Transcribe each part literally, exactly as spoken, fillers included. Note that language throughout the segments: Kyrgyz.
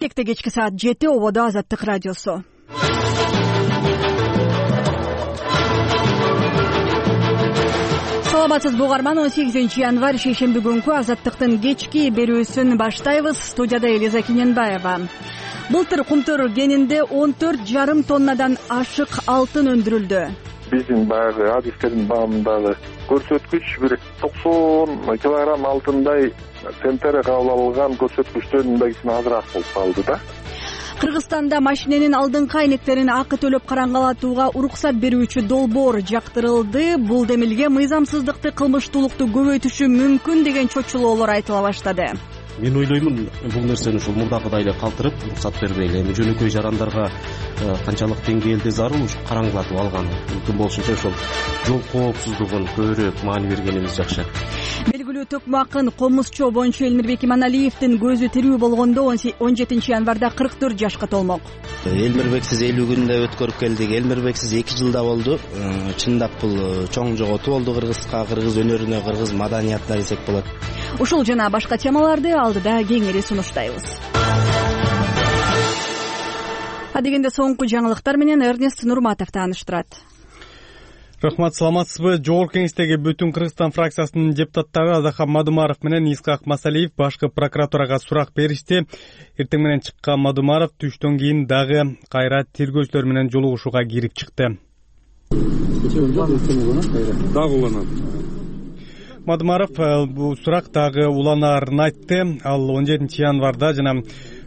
Кекте кечки саат жети ободо Азаттык радиосу. Саламатсызбы угарман, он сегизинчи январь шейшемби күнкү Азаттыктын кечки берүүсүн баштайбыз. Студияда Элиза Киненбаева. Былтыр Кумтөр кенинде он төрт жарым тоннадан ашык алтын өндүрүлдү. Биздин баягы адистердин багымындагы көрсөткүч бир токсон килограмм алтындай центнер кабыл алган көрсөткүчтөн дагы азыраак болуп калды да. Кыргызстанда машиненин алдыңкы айнектерин акы төлөп караңгалатууга уруксат берүүчү долбоор жактырылды. Бул демилге мыйзамсыздыкты, кылмыштуулукту көбөйтүшү мүмкүн деген чочулоолор айтыла баштады. Мен ойлоймун, бул нерсени ушул мурдагыдай эле калтырып, уруксат бербейли. Эми жөнөкөй жарандарга канчалык деңгээлде зарыл ушу караңгылатып алган. Мүмкүн болушунча ошол жол коопсуздугун көбүрөөк маани бергенибиз жакшы. Белгилүү төкмө акын комузчу боюнчу Элмирбек Иманалиевдин көзү тирүү болгондо он жетинчи январда кырк төрт жашка толмок. Элмирбексиз элүү күндө өткөрүп келдик. Элмирбексиз эки жылда болду. Чындап бул чоң жоготуу болду кыргызга, кыргыз өнөрүнө, кыргыз маданиятына десек болот. Ушул жана башка темаларды алдыда кеңири сунуштайбыз. Адегенде соңку жаңылыктар менен Эрнест Нурматов тааныштырат. Рахмат, саламатсызбы? Жогорку кеңештеги Бүтүн Кыргызстан фракциясынын депутаттары Азахан Мадумаров менен Исхак Масалиев башкы прокуратурага сурак беришти. Эртең менен чыккан Мадумаров түштөн кийин дагы кайра тергөөчүлөр менен жолугушууга кирип чыкты. Дагы уланат. Мадумаров бул сурак дагы уланаарын айтты. Ал он жетинчи январда жана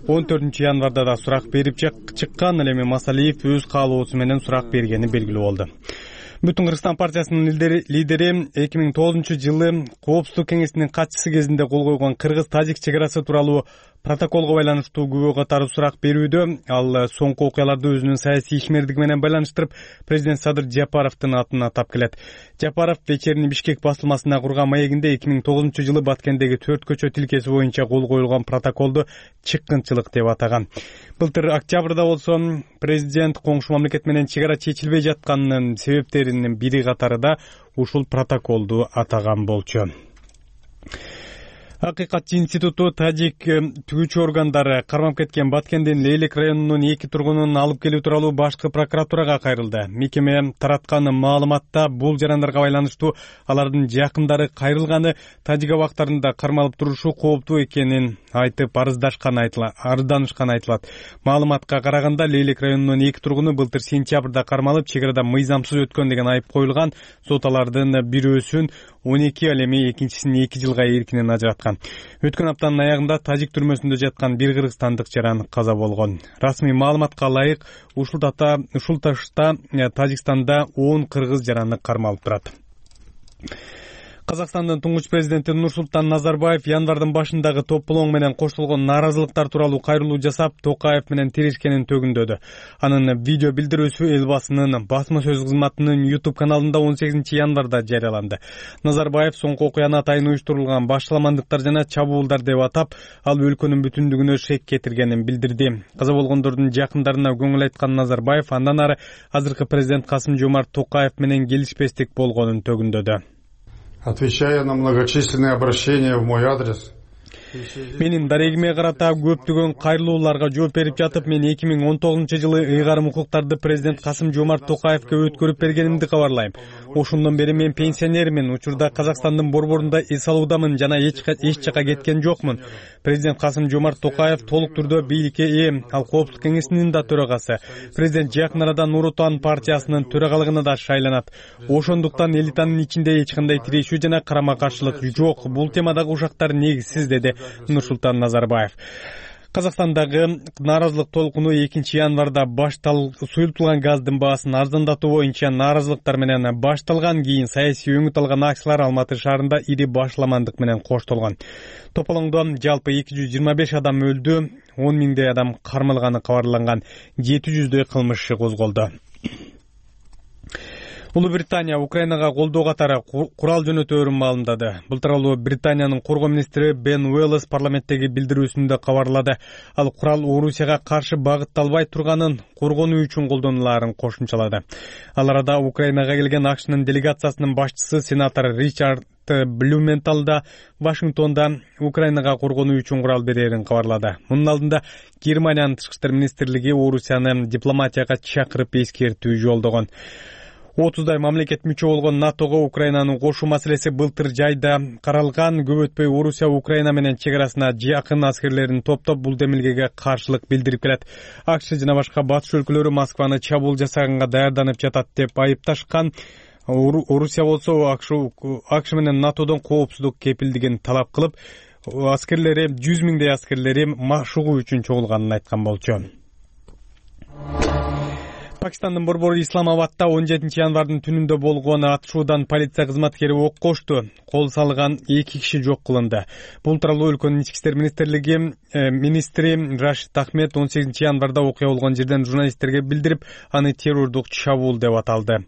он төртүнчү январда да сурак берип чыккан. Ал эми Масалиев өз каалоосу менен сурак бергени белгилүү болду. Бүтүн Кыргызстан партиясынын лидери эки миң тогузунчу жылы Коопсуздук кеңесинин катчысы кезинде кол койгон кыргыз-тажик чек арасы тууралуу протоколго байланыштуу күбө катары сурак берүүдө. Ал соңку окуяларды өзүнүн саясий ишмердиги менен байланыштырып, президент Садыр Жапаровдун атын атап келет. Жапаров вечерний Бишкек басылмасына курган маегинде эки миң тогузунчу жылы Баткендеги төрт көчө тилкеси боюнча кол коюлган протоколду чыккынчылык деп атаган. Былтыр октябрда болсо президент коңшу мамлекет менен чек ара чечилбей жатканынын себептеринин бири катары да ушул протоколду атаган болчу. Акыйкатчы институту тажик түгүүчү органдары кармап кеткен Баткендин Лейлек районунун эки тургунун алып келүү тууралуу башкы прокуратурага кайрылды. Мекеме тараткан маалыматта бул жарандарга байланыштуу алардын жакындары кайрылганы, тажик абактарында кармалып турушу кооптуу экенин айтып арыздашкан айтылат. Арызданышкан айтылат. Маалыматка караганда Лейлек районунун эки тургуну былтыр сентябрда кармалып, чек арада мыйзамсыз өткөн деген айып коюлган. Сот алардын бирөөсүн он эки, ал эми экинчисин эки жылга эркинен ажыраткан. Өткөн аптанын аягында тажик түрмөсүндө жаткан бир кыргызстандык жаран каза болгон. Расмий маалыматка ылайык, ушул дата ушул ташта Тажикстанда он кыргыз жараны кармалып турат. Казакстандын туңгуч президенти Нурсултан Назарбаев январдын башындагы тополоң менен коштолгон нааразылыктар тууралуу кайрылуу жасап, Токаев менен тирешкенин төгүндөдү. Анын видео билдирүүсү эл басынын басма сөз кызматынын YouTube каналында он сегизинчи январда жарыяланды. Назарбаев соңку окуяны атайын уюштурулган башаламандыктар жана чабуулдар деп атап, ал өлкөнүн бүтүндүгүнө шек кетиргенин билдирди. Каза болгондордун жакындарына көңүл айткан Назарбаев андан ары азыркы президент Касым Жомарт Токаев менен келишпестик болгонун төгүндөдү. Отвечая на многочисленные обращения в мой адрес, менин дарегиме карата көптөгөн кайрылууларга жооп берип жатып, мен эки миң он тогузунчу жылы ыйгарым укуктарды президент Касым Жомарт Токаевке өткөрүп бергенимди кабарлайм. Ошондон бери мен пенсионермин, учурда Казакстандын борборунда эс алуудамын жана эч жака кеткен жокмун. Президент Касым Жомарт Токаев толук түрдө бийликке ээ, ал Коопсуздук кеңесинин да төрагасы. Президент жакын арада Нур Отан партиясынын төрагалыгына да шайланат. Ошондуктан элитанын ичинде эч кандай тирешүү жана карама каршылык жок. Бул темадагы ушактар негизсиз, деди Нурсултан Назарбаев. Казакстандагы нааразылык толкуну экинчи январда башталып, суюлтулган газдын баасын арзандатуу боюнча нааразылыктар менен башталган. Кийин саясий өңүт алган акциялар Алматы шаарында ири башаламандык менен коштолгон. Тополоңдо жалпы эки жүз жыйырма беш адам өлдү, он миңдей адам кармалганы кабарланган, жети жүздөй кылмыш иши козголду. Улуу Британия Украинага колдоо катары курал жөнөтөөрүн маалымдады. Былтыр ал Британиянын коргоо министри Бен Уэллс парламенттеги билдирүүсүндө кабарлады. Ал курал Орусияга каршы багытталбай турганын, коргонуу үчүн колдонулаарын кошумчалады. Ал арада Украинага келген АКШнын делегациясынын башчысы сенатор Ричард Блюменталда Вашингтонда Украинага коргонуу үчүн курал берерин кабарлады. Мунун алдында Германиянын тышкы иштер министрлиги Орусияны дипломатияга чакырып эскертүү жолдогон. отуздай мамлекет мүчө болгон НАТОго Украинанын кошуу маселеси былтыр жайда каралган. Көп өтпөй Орусия Украина менен чек арасына жакын аскерлерин топтоп бул демилгеге каршылык билдирип келет. АКШ жана башка батыш өлкөлөрү Москваны чабуул жасаганга даярданып жатат деп айыпташкан. Орусия болсо АКШ менен НАТОдон коопсуздук кепилдигин талап кылып, аскерлери жүз миңдей аскерлери машыгуу үчүн чогулганын айткан болчу. Пакистандын борбору Исламабадда он жетинчи январдын түнүндө болгон атышуудан полиция кызматкери ок кошту. Кол салган эки киши жок кылынды. Бул тууралуу өлкөнүн ички иштер министрлиги министри Рашид Ахмед он сегизинчи январда окуя болгон жерден журналисттерге билдирип, аны террордук чабуул деп аталды.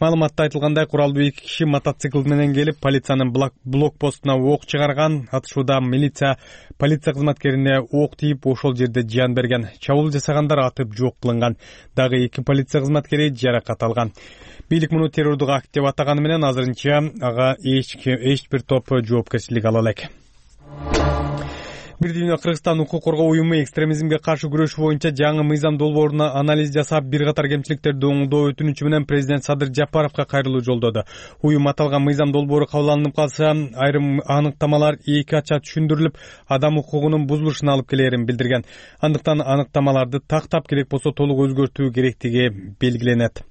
Маалыматта айтылгандай, куралдуу эки киши мотоцикл менен келип, полициянын блокпостуна ок чыгарган. Атышууда милиция полиция кызматкерине ок тийип, ошол жерде жан берген. Чабуул жасагандар атып жок кылынган. Дагы эки полиция кызматкери жаракат алган. Бийлик муну террордук акт деп атаганы менен азырынча ага эч эч бир топ жоопкерчилик ала элек. Бир дүйнө Кыргызстан укук коргоо уюму экстремизмге каршы күрөш боюнча жаңы мыйзам долбооруна анализ жасап, бир катар кемчиликтерди оңдоо өтүнүчү менен президент Садыр Жапаровго кайрылуу жолдоду. Уюм аталган мыйзам долбоору кабыл калса, айрым аныктамалар эки ача түшүндүрүлүп, адам укугунун бузулушуна алып келерин билдирген. Андыктан аныктамаларды тактап, керек болсо толук өзгөртүү керектиги белгиленет.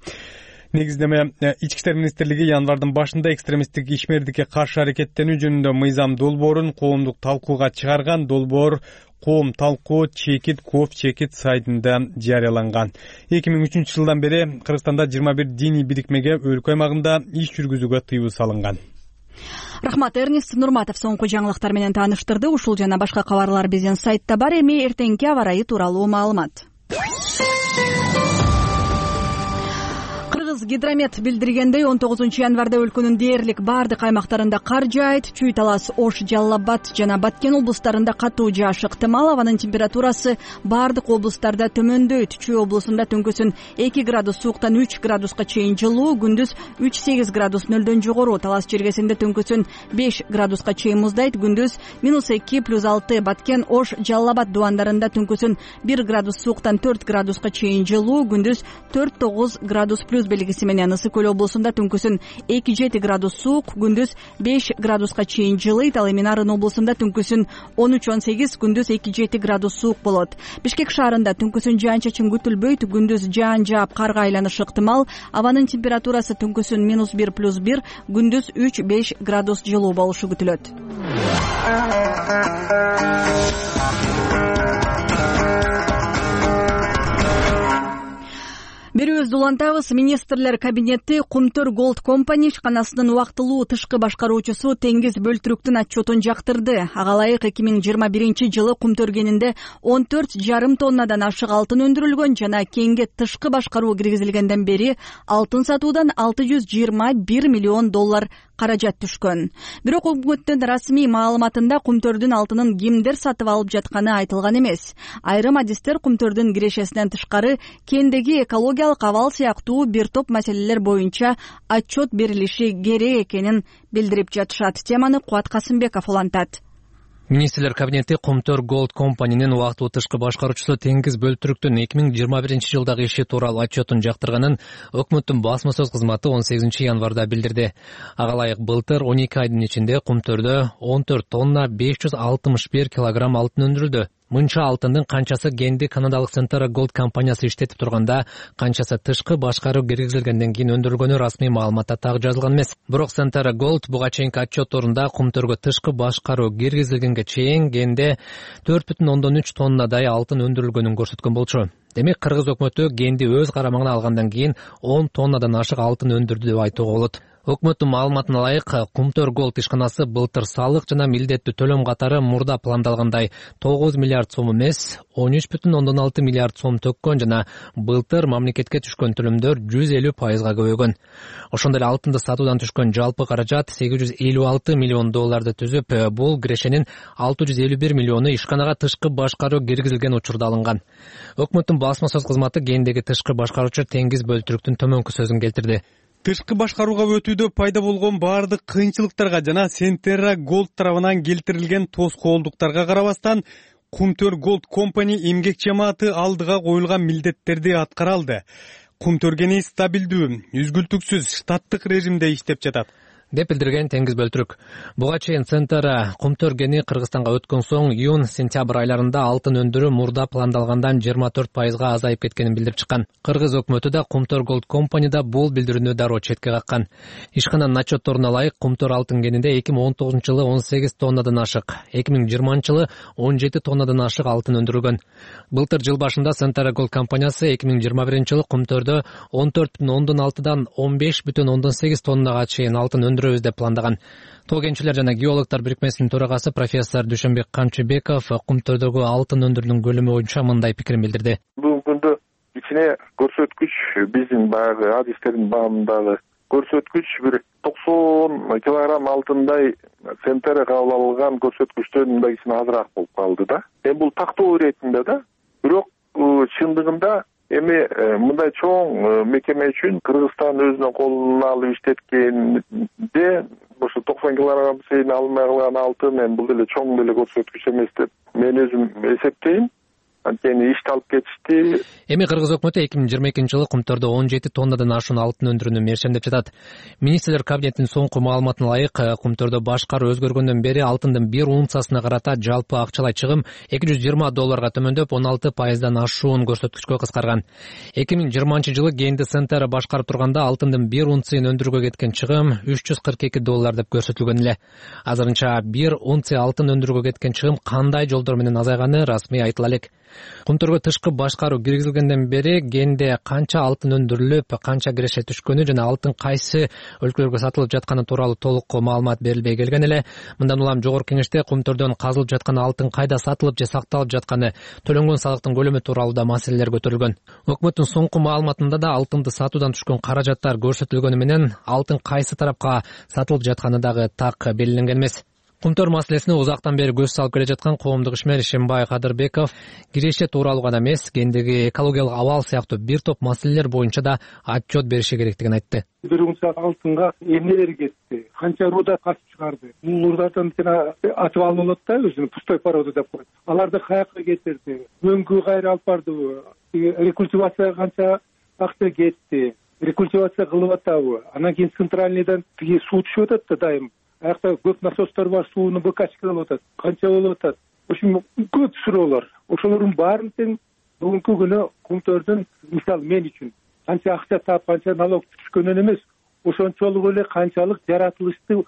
Негиздеме ички иштер министрлиги январдын башында экстремисттик ишмердикке каршы аракеттенүү жөнүндө мыйзам долбоорун коомдук талкууга чыгарган. Долбоор коом талкуу чекит ков чекит сайтында жарыяланган. эки миң үчүнчү жылдан бери Кыргызстанда жыйырма бир диний бирикмеге өлкө аймагында иш жүргүзүүгө тыюу салынган. Рахмат, Эрнест Нурматов соңку жаңылыктар менен тааныштырды. Ушул жана башка кабарлар биздин сайтта бар. Эми эртеңки аба ырайы тууралуу маалымат. Гидромет билдиргендей, он тогузунчу январда өлкөнүн дээрлик бардык аймактарында кар жаайт. Чүй Талас, Ош, Жалал Абад жана Баткен облустарында катуу жааш ыктымал. Абанын температурасы бардык облустарда төмөндөйт. Чүй облусунда түнкүсүн эки градус сууктан үч градуска чейин жылуу, күндүз үч сегиз градус нөлдөн жогору. Талас жергесинде түнкүсүн беш градуска чейин муздайт, күндүз минус эки плюс алты. Баткен, Ош, Жалал Абад дубандарында түнкүсүн бир градус сууктан төрт градуска чейин жылуу, күндүз төрт тогуз градус плюс белгиси менен. Ысык көл облусунда түнкүсүн эки жети градус суук, күндүз беш градуска чейин жылыйт. Ал эми Нарын облусунда түнкүсүн он үч он сегиз, күндүз эки жети градус суук болот. Бишкек шаарында түнкүсүн жаан-чачын күтүлбөйт, күндүз жаан жаап карга айланышы ыктымал. Абанын температурасы түнкүсүн минус бир плюс бир, күндүз үч беш градус жылуу болушу күтүлөт. Берүүбүздү улантабыз. Министрлер кабинети Кумтөр Gold Company ишканасынын убактылуу тышкы башкаруучусу Теңиз Бөлтүрүктүн отчетун жактырды. Ага ылайык эки миң жыйырма биринчи жылы Кумтөр кенинде он төрт жарым тоннадан ашык алтын өндүрүлгөн жана кенге тышкы башкаруу киргизилгенден бери алтын сатуудан алты жүз жыйырма бир миллион доллар каражат түшкөн. Бирок өкмөттүн расмий маалыматында Кумтөрдүн алтынын кимдер сатып алып жатканы айтылган эмес. Айрым адистер Кумтөрдүн кирешесинен тышкары кендеги экологиялык абал сыяктуу бир топ маселелер боюнча отчет берилиши керек экенин билдирип жатышат. Теманы Кубат Касымбеков улантат. Министрлер кабинети Кумтөр Gold Company'нин убактылуу тышкы башкаруучусу Теңиз Бөлтүрүктүн эки миң жыйырма биринчи жылдагы иши тууралуу отчетун жактырганын өкмөттүн басма сөз кызматы он сегизинчи январда билдирди. Ага ылайык былтыр он эки айдын ичинде Кумтөрдө он төрт тонна беш жүз алтымыш бир килограмм алтын өндүрүлдү. Мынча алтындын канчасы кенди канадалык Centara Gold компаниясы иштетип турганда, канчасы тышкы башкаруу киргизилгенден кийин өндүрүлгөнү расмий маалыматта так жазылган эмес. Бирок Centara Gold буга чейинки отчетторунда Кумтөргө тышкы башкаруу киргизилгенге чейин кенде төрт бүтүн ондон үч тоннадай алтын өндүрүлгөнүн көрсөткөн болчу. Демек, кыргыз өкмөтү кенди өз карамагына алгандан кийин он тоннадан ашык алтын өндүрдү деп айтууга болот. Өкмөттүн маалыматына ылайык, Кумтөр Gold ишканасы былтыр салык жана милдеттүү төлөм катары мурда пландалгандай тогуз миллиард сом эмес, он үч бүтүн ондон алты миллиард сом төккөн жана былтыр мамлекетке түшкөн төлөмдөр жүз элүү пайызга көбөйгөн. Ошондой эле алтынды сатуудан түшкөн жалпы каражат сегиз жүз элүү алты миллион долларды түзүп, бул кирешенин алты жүз элүү бир миллиону ишканага тышкы башкаруу киргизилген учурда алынган. Өкмөттүн басма сөз кызматы кендеги тышкы башкаруучу Теңиз Бөлтүрүктүн төмөнкү сөзүн келтирди. Тышкы башкарууга өтүүдө пайда болгон баардык кыйынчылыктарга жана Centera Gold тарабынан келтирилген тоскоолдуктарга карабастан Кумтөр Gold Company эмгек жамааты алдыга коюлган милдеттерди аткара алды. Кумтөр кени стабилдүү, үзгүлтүксүз штаттык режимде иштеп жатат деп билдирген Теңиз Бөлтүрүк. Буга чейин Centera Кумтөр кени Кыргызстанга өткөн соң июнь-сентябрь айларында алтын өндүрүү мурда пландалгандан жыйырма төрт пайызга азайып кеткенин билдирип чыккан. Кыргыз өкмөтү да Кумтөр Gold Company'да бул билдирүүнү дароо четке каккан. Ишкананын отчетторуна ылайык Кумтөр алтын кенинде эки миң он тогузунчу жылы он сегиз тоннадан ашык, эки миң жыйырманчы жылы он жети тоннадан ашык алтын өндүрүлгөн. Былтыр жыл башында Centera Gold компаниясы эки миң жыйырма биринчи жылы Кумтөрдө он төрт бүтүн ондон алтыдан он беш бүтүн ондон сегиз тоннага чейин алтын өндүрөбүз деп пландаган. Тоо кенчилер жана геологдор бирикмесинин төрагасы профессор Дүйшөнбек Камчыбеков Кумтөрдөгү алтын өндүрүүнүн көлөмү боюнча мындай пикирин билдирди. Бүгүнкү күндө кичине көрсөткүч биздин баягы адистердин баамындагы көрсөткүч бир токсон килограмм алтындай Centera кабыл алган көрсөткүчтөн мындай кичине азыраак болуп калды да. Эми бул тактоо иретинде да. Бирок чындыгында эми мындай чоң мекеме үчүн Кыргызстан өзүнүн колуна алып иштеткенде ошо токсон килограмм сейин алынбай калган алтын эми бул деле чоң деле көрсөткүч эмес деп мен өзүм эсептейм. Анткени ишти алып кетишти. Эми Кыргыз өкмөтү эки миң жыйырма экинчи жылы Кумтөрдө он жети тоннадан ашуун алтын өндүрүүнү мерчемдеп жатат. Министрлер кабинетинин соңку маалыматына ылайык, Кумтөрдө башкаруу өзгөргөндөн бери алтындын бир унциясына карата жалпы акчалай чыгым эки жүз жыйырма долларга төмөндөп, он алты пайыздан ашуун көрсөткүчкө кыскарган. эки миң жыйырманчы жылы кенди Centera башкарып турганда алтындын бир унциясын өндүрүүгө кеткен чыгым үч жүз кырк эки доллар деп көрсөтүлгөн эле. Азырынча бир унция алтын өндүрүүгө кеткен чыгым кандай жолдор менен азайганы расмий айтыла элек. Кумтөргө тышкы башкаруу киргизилгенден бери кенде канча алтын өндүрүлүп, канча киреше түшкөнү жана алтын кайсы өлкөлөргө сатылып жатканы тууралуу толук маалымат берилбей келген эле. Мындан улам жогорку кеңеште Кумтөрдөн казылып жаткан алтын кайда сатылып же сакталып жатканы, төлөнгөн салыктын көлөмү тууралуу да маселелер көтөрүлгөн. Өкмөттүн соңку маалыматында да алтынды сатуудан түшкөн каражаттар көрсөтүлгөнү менен алтын кайсы тарапка сатылып жатканы дагы так белгиленген эмес. Кумтөр маселесине узактан бери көз салып келе жаткан коомдук ишмер Ишембай Кадырбеков киреше тууралуу гана эмес, кендеги экологиялык абал сыяктуу бир топ маселелер боюнча да отчет бериши керектигин айтты. Бир унция алтынга эмнелер кетти, канча руда касып чыгарды, бул рудартан жана атып алып болот да, өзүнүн пустой порода деп коет. Аларды каяка кетирди, мөңгү кайра алып бардыбы, рекультивацияга канча акча кетти, рекультивация кылып атабы, анан кийин центральныйдан тиги суу түшүп атат да дайым. Аякта көп насостор бар, сууну быкачка кылып атат, канча болуп атат. Ошо көп суроолор. Ошолордун баарын тең бүгүнкү күнү Кумтөрдүн, мисалы мен үчүн канча акча таап, канча налог түшкөнүн эмес, ошончолук эле канчалык жаратылышты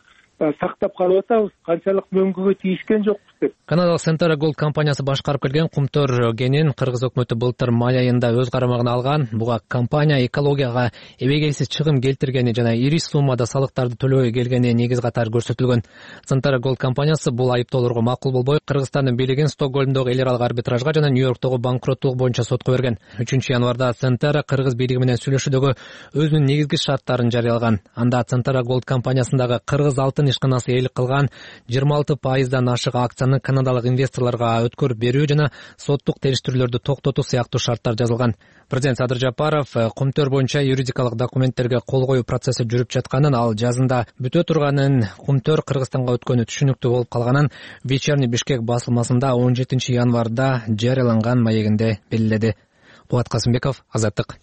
сактап калып атабыз, канчалык мөңгүгө тийишкен жокпуз деп. Канадалык Centera Gold компаниясы башкарып келген Кумтөр кенин Кыргыз өкмөтү былтыр май айында өз карамагына алган. Буга компания экологияга эбегейсиз чыгым келтиргени жана ири суммада салыктарды төлөбөй келгени негиз катары көрсөтүлгөн. Centera Gold компаниясы бул айыптоолорго макул болбой, Кыргызстандын бийлигин Стокгольмдогу эл аралык арбитражга жана Нью-Йорктогу банкроттук боюнча сотко берген. үчүнчү январда Centera Кыргыз бийлиги менен сүйлөшүүдөгү өзүнүн негизги шарттарын жарыялаган. Анда Centera Gold компаниясындагы Кыргыз алтын ишканасы ээлик кылган жыйырма алты пайыздан ашык акцияны канадалык инвесторлорго өткөрүп берүү жана соттук териштирүүлөрдү токтотуу сыяктуу шарттар жазылган. Президент Садыр Жапаров Кумтөр боюнча юридикалык документтерге кол коюу процесси жүрүп жатканын, ал жазында бүтө турганын, Кумтөр Кыргызстанга өткөнү түшүнүктүү болуп калганын Вечерний Бишкек басылмасында он жетинчи январда жарыяланган маегинде белгиледи. Кубат Касымбеков, Азаттык.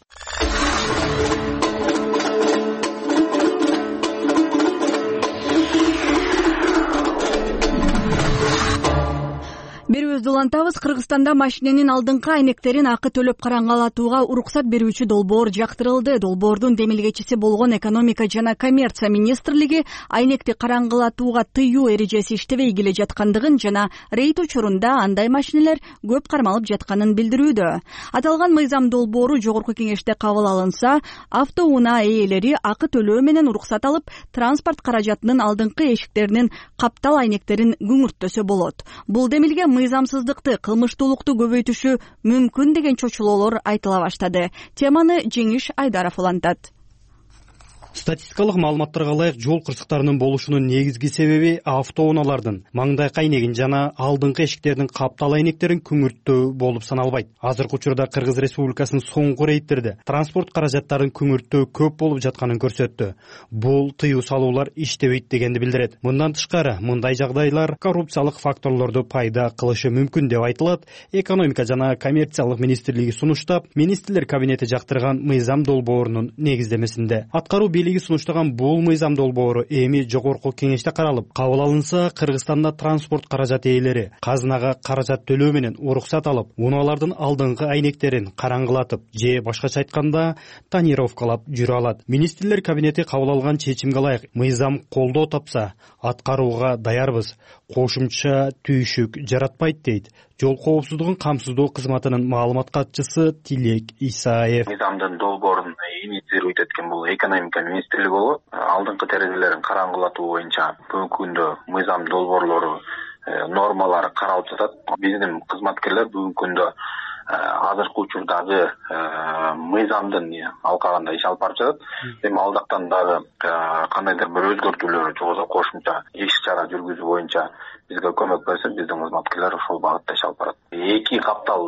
Берүүбүздү улантабыз. Кыргызстанда машиненин алдыңкы айнектерин акы төлөп караңгалатууга уруксат берүүчү долбоор жактырылды. Долбоордун демилгечиси болгон Экономика жана коммерция министрлиги айнекти караңгалатууга тыюу эрежеси иштебей келе жаткандыгын жана рейд учурунда андай машинелер көп кармалып жатканын билдирүүдө. Аталган мыйзам долбоору жогорку кеңеште кабыл алынса, автоунаа ээлери акы төлөө менен уруксат алып, транспорт каражатынын алдыңкы эшиктеринин каптал айнектерин күңүрттөсө болот. Бул демилге мыйзамсыздыкты, кылмыштуулукту көбөйтүшү мүмкүн деген чочулоолор айтыла баштады. Теманы Жеңиш Айдаров улантат. Статистикалык маалыматтарга ылайык жол кырсыктарынын болушунун негизги себеби автоунаалардын маңдайкы айнегин жана алдыңкы эшиктердин каптал айнектерин күңүрттөө болуп саналбайт. Азыркы учурда Кыргыз Республикасынын соңку рейдтерде транспорт каражаттарын күңүрттөө көп болуп жатканын көрсөттү. Бул тыюу салуулар иштебейт дегенди билдирет. Мындан тышкары, мындай жагдайлар коррупциялык факторлорду пайда кылышы мүмкүн деп айтылат. Экономика жана коммерциялык министрлиги сунуштап, министрлер кабинети жактырган мыйзам долбоорунун негиздемесинде. Аткаруу бийлиги сунуштаган бул мыйзам долбоору эми жогорку кеңеште каралып, кабыл алынса, Кыргызстанда транспорт каражат ээлери казынага каражат төлөө менен уруксат алып, унаалардын алдыңкы айнектерин караңгылатып же башкача айтканда тонировкалап жүрө алат. Министрлер кабинети кабыл алган чечимге ылайык мыйзам колдоо тапса, аткарууга даярбыз. Кошумча түйшүк жаратпайт дейт жол коопсуздугун камсыздоо кызматынын маалымат катчысы Тилек Исаев. Мыйзамдын долбоорун инициировать эткен бул экономика министрлиги болот. Алдыңкы терезелерин караңгылатуу боюнча бүгүнкү күндө мыйзам долбоорлору нормалары каралып жатат. Биздин кызматкерлер бүгүнкү күндө азыркы учурдагы мыйзамдын алкагында иш алып барып жатат. Эми алдактан дагы кандайдыр бир өзгөртүүлөр жогосо кошумча иш чара жүргүзүү боюнча бизге көмөк берсе, биздин кызматкерлер ошол багытта иш алып барат. Эки каптал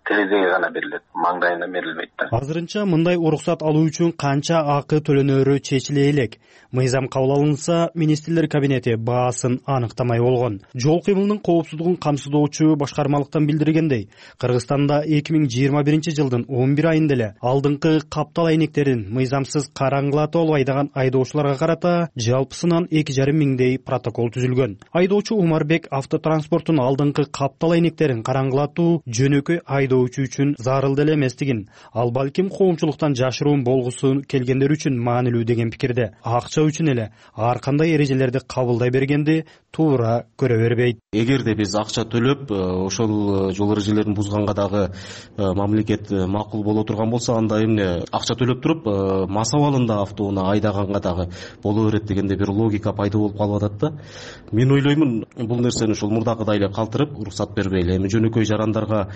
терезеге гана берилет, маңдайына берилбейт да. Азырынча мындай уруксат алуу үчүн канча акы төлөнөрү чечиле элек. Мыйзам кабыл алынса, министрлер кабинети баасын аныктамай болгон. Жол кыймылынын коопсуздугун камсыздоочу башкармалыктан билдиргендей, Кыргызстанда эки миң жыйырма биринчи жылдын он бир айында эле алдыңкы каптал айнектерин мыйзамсыз караңгылатып алып айдаган айдоочуларга карата жалпысынан эки жарым миңдей протокол түзүлгөн. Айдоочу Умарбек автотранспорттун алдыңкы каптал айнектерин караңгылатуу жөнөкөй айдоочу үчүн зарыл эле эместигин, ал балким коомчулуктан жашыруун болгусу келгендер үчүн маанилүү деген пикирде. Акча үчүн эле ар кандай эрежелерди кабылдай бергенди туура көрө бербейт. Эгерде биз акча төлөп, ошол жол эрежелерин бузганга дагы мамлекет макул боло турган болсо, анда эмне акча төлөп туруп мас абалында автоунаа айдаганга дагы боло берет дегенде бир логика пайда болуп калып атат да. Мен ойлоймун, бул нерсени ушул мурдакыдай эле калтырып, уруксат бербей эле эми жөнөкөй жарандарга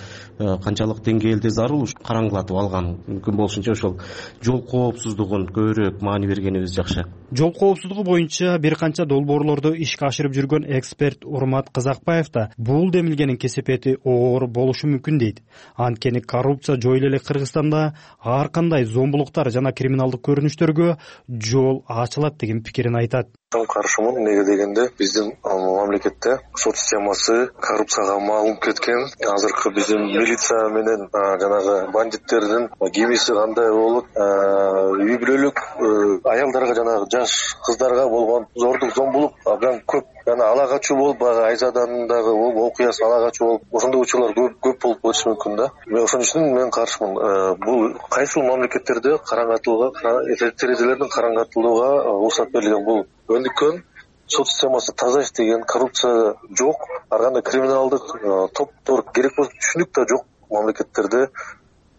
канчалык деңгээлде зарыл караңгылатып алган, мүмкүн болушунча ошол жол коопсуздугун көбүрөөк маани бергенибиз жакшы. Жол коопсуздугу боюнча бир канча долбоорлорду ишке ашырып жүргөн эксперт Урмат Казакбаев да бул демилгенин кесепети оор болушу мүмкүн дейт. Анткени коррупция жойуло эле Кыргызстанда ар кандай зомбулуктар жана криминалдык көрүнүштөргө жол ачылат деген пикирин айтат. Каршымын, неге дегенде биздин мамлекетте сот системасы коррупцияга малынып кеткен. Азыркы биздин милиция менен жанагы бандиттердин кимиси кандай болот, үй бүлөлүк аялдарга жанагы жаш кыздарга болгон зордук зомбулук абдан көп. Жана ала качуу болуп, баягы Айзадандагы окуясы ала качуу болуп, ошондой учурлар көп көп болуп кетиши мүмкүн да. Мен ошон үчүн мен каршымын. Бул кайсыл мамлекеттерде караңгатууга, терезелердин караңгатылууга уруксат берилген. Бул өндүккөн сот системасы таза иштеген, коррупция жок, ар кандай криминалдык топтор керек болсо түшүнүк да жок мамлекеттерде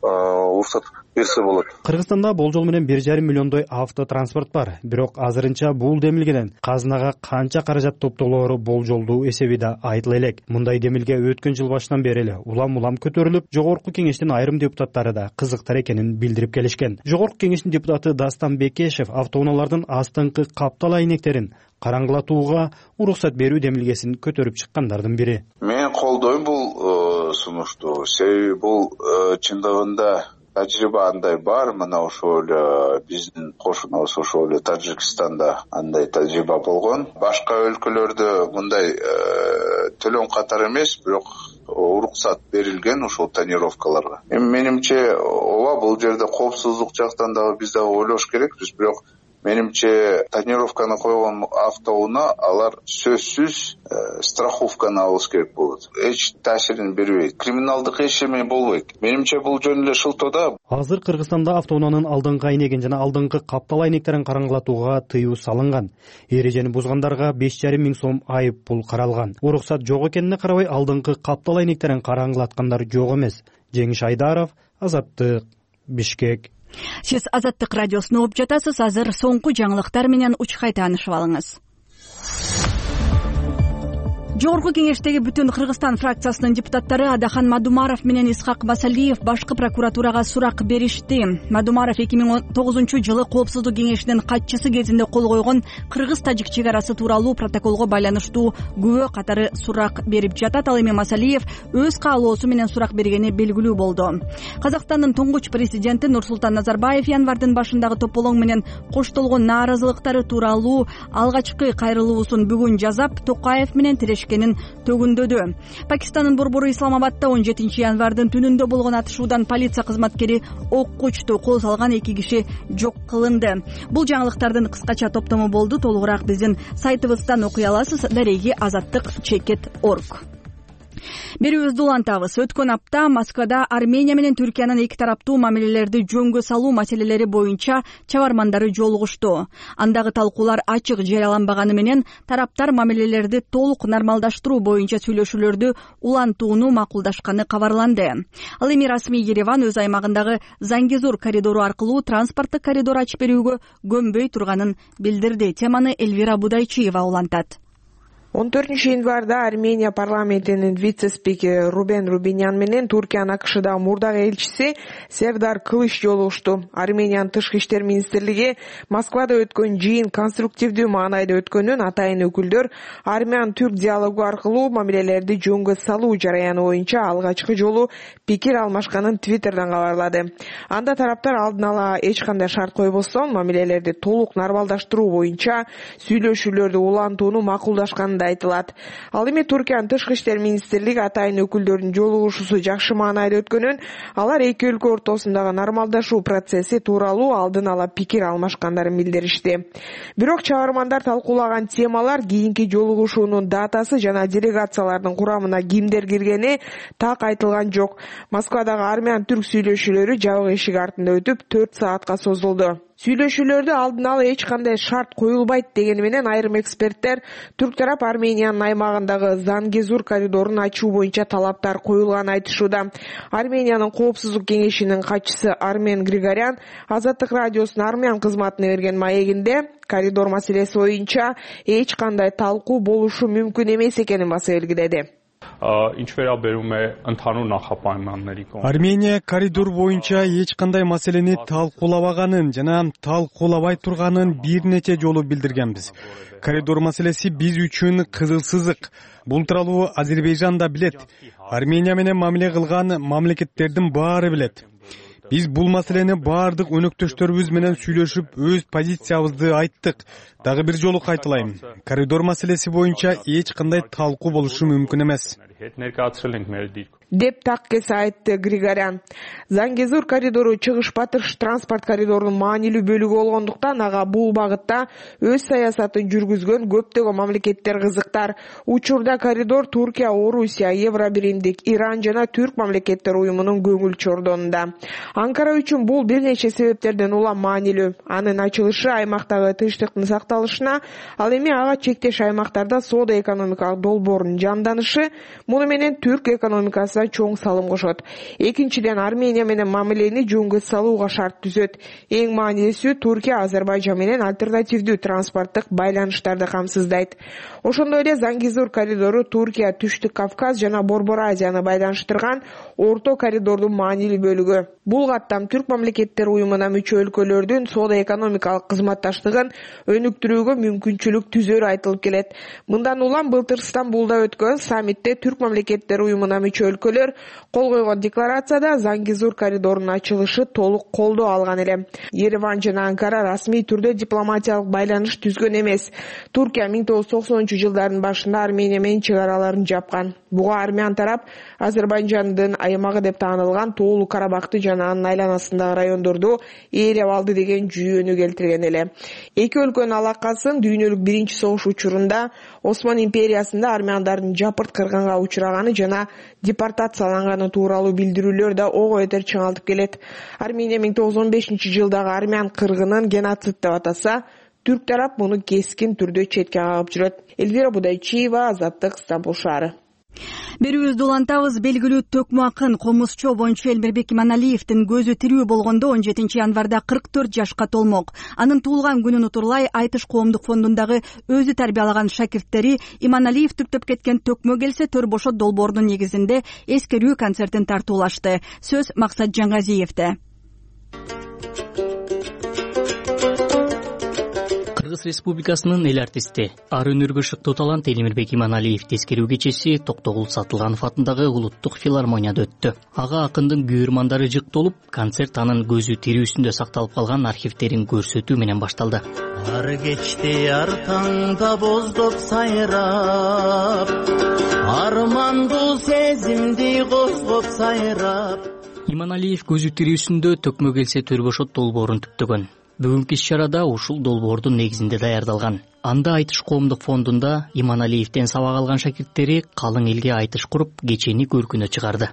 уруксат берсе болот. Кыргызстанда болжол менен бир жарым миллиондой автотранспорт бар. Бирок азырынча бул демилгеден казынага канча каражат топтолоору болжолдуу эсеби да айтыла элек. Мындай демилге өткөн жыл башынан бери эле улам-улам көтөрүлүп, жогорку кеңештин айрым депутаттары да кызыктар экенин билдирип келишкен. Жогорку кеңештин депутаты Дастан Бекешев автоунаалардын астыңкы каптал айнектерин караңгылатууга уруксат берүү демилгесин көтөрүп чыккандардын бири. Мен колдойм бул сунушту. Себеби бул чындыгында тажрыйба андай бар. Мына ошол биздин кошунабыз ошол эле Тажикстанда андай тажрыйба болгон. Башка өлкөлөрдө мындай төлөм катары эмес, бирок уруксат берилген ошол тонировкаларга. Эми менимче ооба бул жерде коопсуздук жактан дагы биз дагы ойлош керекпиз, бирок менимче тонировканы койгон автоунаа алар сөзсүз страховканы алыш керек болот. Эч таасирин бербейт. Криминалдык эчеме болбойт. Менимче бул жөн эле шылтоо да. Азыр Кыргызстанда автоунаанын алдыңкы айнегин жана алдыңкы каптал айнектерин караңгылатууга тыюу салынган. Эрежени бузгандарга беш жарым миң сом айып пул каралган. Уруксат жок экенине карабай алдыңкы каптал айнектерин караңгылаткандар жок эмес. Жеңиш Айдаров, Азаттык, Бишкек. Сиз Азаттык радиосун угуп жатасыз. Азыр соңку жаңылыктар менен Учкай таанышып алыңыз. Жогорку кеңештеги Бүтүн Кыргызстан фракциясынын депутаттары Адахан Мадумаров менен Исхак Масалиев башкы прокуратурага сурак беришти. Мадумаров эки миң он тогузунчу жылы Коопсуздук кеңешинин катчысы кезинде кол койгон кыргыз-тажик чек арасы тууралуу протоколго байланыштуу күбө катары сурак берип жатат. Ал эми Масалиев өз каалоосу менен сурак бергени белгилүү болду. Казакстандын туңгуч президенти Нурсултан Назарбаев январдын башындагы тополоң менен коштолгон нааразылыктары тууралуу алгачкы кайрылуусун бүгүн жазап, Токаев менен тирешкенин төгүндөдү. Пакистандын борбору Исламабадда он жетинчи январдын түнүндө болгон атышуудан полиция кызматкери окко учту, кол салган эки киши жок кылынды. Бул жаңылыктардын кыскача топтому болду. Толугураак биздин сайтыбыздан окуй аласыз. Дареги азаттык чекит точка орг. Берүүбүздү улантабыз. Өткөн апта Москвада Армения менен Түркиянын эки тараптуу мамилелерди жөнгө салуу маселелери боюнча чабармандары жолугушту. Андагы талкуулар ачык жарыяланбаганы менен тараптар мамилелерди толук нормалдаштыруу боюнча сүйлөшүүлөрдү улантууну макулдашканы кабарланды. Ал эми расмий Ереван өз аймагындагы Зангезур коридору аркылуу транспорттук коридор ачып берүүгө көнбөй турганын билдирди. Теманы Эльвира Будайчиева улантат. он төртүнчү январда Армения парламентинин вице-спикери Рубен Рубинян менен Туркиянын АКШдагы мурдагы элчиси Сердар Кылыч жолугушту. Армениянын тышкы иштер министрлиги Москвада өткөн жыйын конструктивдүү маанайда өткөнүн атайын өкүлдөр армян-түрк диалогу аркылуу мамилелерди жөнгө салуу жараяны боюнча алгачкы жолу пикир алмашканын Твиттерден кабарлады. Анда тараптар алдын ала эч кандай шарт койбостон мамилелерди толук нормалдаштыруу боюнча сүйлөшүүлөрдү улантууну макулдашканы айтылат. Ал эми Туркиянын тышкы иштер министрлиги атайын өкүлдөрдүн жолугушуусу жакшы маанайда өткөнүн, алар эки өлкө ортосундагы нормалдашуу процесси тууралуу алдын ала пикир алмашкандарын билдиришти. Бирок чабармандар талкуулаган темалар, кийинки жолугушуунун датасы жана делегациялардын курамына кимдер киргени так айтылган жок. Москвадагы армян-түрк сүйлөшүүлөрү жабык эшик артында өтүп төрт саатка созулду. Сүйлөшүүлөрдө алдын ала эч кандай шарт коюлбайт дегени менен айрым эксперттер түрк тарап Армениянын аймагындагы Зангезур коридорун ачуу боюнча талаптар коюлганын айтышууда. Армениянын Коопсуздук кеңешинин катчысы Армен Григорян Азаттык радиосунун армян кызматына берген маегинде коридор маселеси боюнча эч кандай талкуу болушу мүмкүн эмес экенин баса белгиледи. Армения коридор боюнча эч кандай маселени талкуулабаганын жана талкуулабай турганын бир нече жолу билдиргенбиз. Коридор маселеси биз үчүн кызыл сызык. Бул тууралуу Азербайжан да билет. Армения менен мамиле кылган мамлекеттердин баары билет. Биз бул маселени баардык өнөктөштөрүбүз менен сүйлөшүп, өз позициябызды айттык. Дагы бир жолу кайталайм. Коридор маселеси боюнча эч кандай талкуу болушу мүмкүн эмес. деп так кесе айтты Григорян. Зангезур коридору чыгыш-батыш транспорт коридорунун маанилүү бөлүгү болгондуктан ага бул багытта өз саясатын жүргүзгөн көптөгөн мамлекеттер кызыктар. Учурда коридор Туркия, Орусия, Евробиримдик, Иран жана Түрк мамлекеттер уюмунун көңүл чордонунда. Анкара үчүн бул бир нече себептерден улам маанилүү. Анын ачылышы аймактагы тынчтыктын сакталышына, ал эми ага чектеш аймактарда соода экономикалык долбоордун жанданышы, муну менен түрк экономикасы чоң салым кошот. Экинчиден, Армения менен мамилени жөнгө салууга шарт түзөт. Эң маанилүүсү Туркия Азербайжан менен альтернативдүү транспорттук байланыштарды камсыздайт. Ошондой эле Зангезур коридору Туркия, Түштүк Кавказ жана Борбор Азияны байланыштырган орто коридордун маанилүү бөлүгү. Бул каттам түрк мамлекеттер уюмуна мүчө өлкөлөрдүн соода экономикалык кызматташтыгын өнүктүрүүгө мүмкүнчүлүк түзөрү айтылып келет. Мындан улам былтыр Стамбулда өткөн саммитте түрк мамлекеттер уюмуна мүчө өлкөлөр кол койгон декларацияда Зангезур коридорунун ачылышы толук колдоо алган эле. Ереван жана Анкара расмий түрдө дипломатиялык байланыш түзгөн эмес. Туркия миң тогуз жүз токсонунчу жылдардын башында Армения менен чек араларын жапкан. Буга армян тарап Азербайжандын аймагы деп таанылган Тоолу Карабакты жана анын айланасындагы райондорду ээлеп алды деген жүйөнү келтирген эле. Эки өлкөнүн алакасын дүйнөлүк биринчи согуш учурунда Осман империясында армяндардын жапырт кыргынга учураганы жана депортацияланганы тууралуу билдирүүлөр да ого бетер чыңалтып келет. Армения миң тогуз жүз он бешинчи жылдагы армян кыргынын геноцид деп атаса, түрк тарап муну кескин түрдө четке кагып жүрөт. Эльвира Будайчиева, Азаттык, Стамбул шаары. Берүүбүздү улантабыз. Белгилүү төкмө акын комузчу обончу Элмирбек Иманалиевдин көзү тирүү болгондо он жетинчи январда кырк төрт жашка толмок. Анын туулган күнүн утурлай Айтыш коомдук фондундагы өзү тарбиялаган шакирттери Иманалиев түртөп кеткен төкмө келсе төр бошот долбоорунун негизинде эскерүү концертин тартуулашты. Сөз Максат Жаңгазиевде. Кыргыз Республикасынын эл артисти, ар өнөргө шыктуу талант Элмирбек Иманалиев эскерүү кечеси Токтогул Сатылганов атындагы улуттук филармонияда өттү. Ага акындын күйөрмандары жыктолуп, концерт анын көзү тирүүсүндө сакталып калган архивтерин көрсөтүү менен башталды. Ар кечте ар таңда боздоп сайрап, армандуу сезимди козгоп сайрап. Иманалиев көзү тирүүсүндө төкмө келсе төр бошот долбоорун түптөгөн. Бүгүнкү иш-чарада ушул долбоордун негизинде даярдалган. Анда Айтыш коомдук фондунда Иманалиевден сабак алган шакирттери калың элге айтыш куруп, кечени көркүнө чыгарды.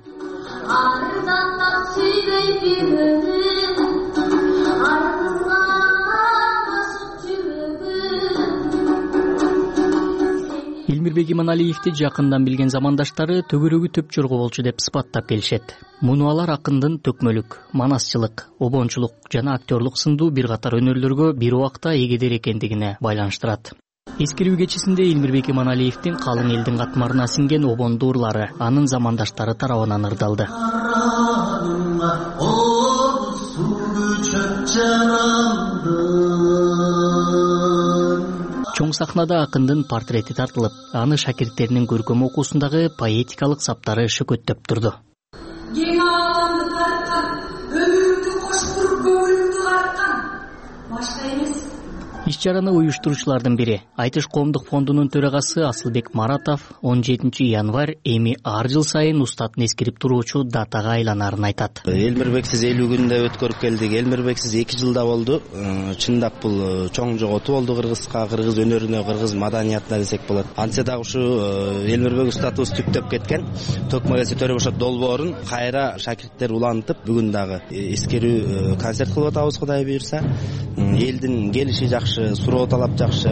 Элмирбек Иманалиевди жакындан билген замандаштары төгөрөгү төп жорго болчу деп сыпаттап келишет. Муну алар акындын төкмөлүк, манасчылык, обончулук жана актерлук сындуу бир катар өнөрлөргө бир убакта эгедер экендигине байланыштырат. Эскерүү кечесинде Элмирбек Иманалиевдин калың элдин катмарына сиңген обондуу ырлары анын замандаштары тарабынан ырдалды. Чоң сахнада акындын портрети тартылып, аны шакирттеринин көркөм окуусундагы поэтикалык саптары шөкөттөп турду. Кең ааламды тарткан, өмүрүңдү коштуруп көңүлүңдү карткан башка эмес. Иш-чараны уюштуруучулардын бири Айтыш коомдук фондунун төрагасы Асылбек Маратов он жетинчи январь эми ар жыл сайын устатын эскирип туруучу датага айланарын айтат. Элмирбексиз элүү күндө өткөрүп келдик. Элмирбексиз эки жылда болду. Чындап бул чоң жоготуу болду кыргызга, кыргыз өнөрүнө, кыргыз маданиятына десек болот. Антсе дагы ушу Элмирбек устатыбыз түптөп кеткен төкмө келсе төр бошот долбоорун кайра шакирттер улантып, бүгүн дагы эскерүү концерт кылып атабыз, Кудай буйрса. Элдин келиши жакшы, суроо талап жакшы.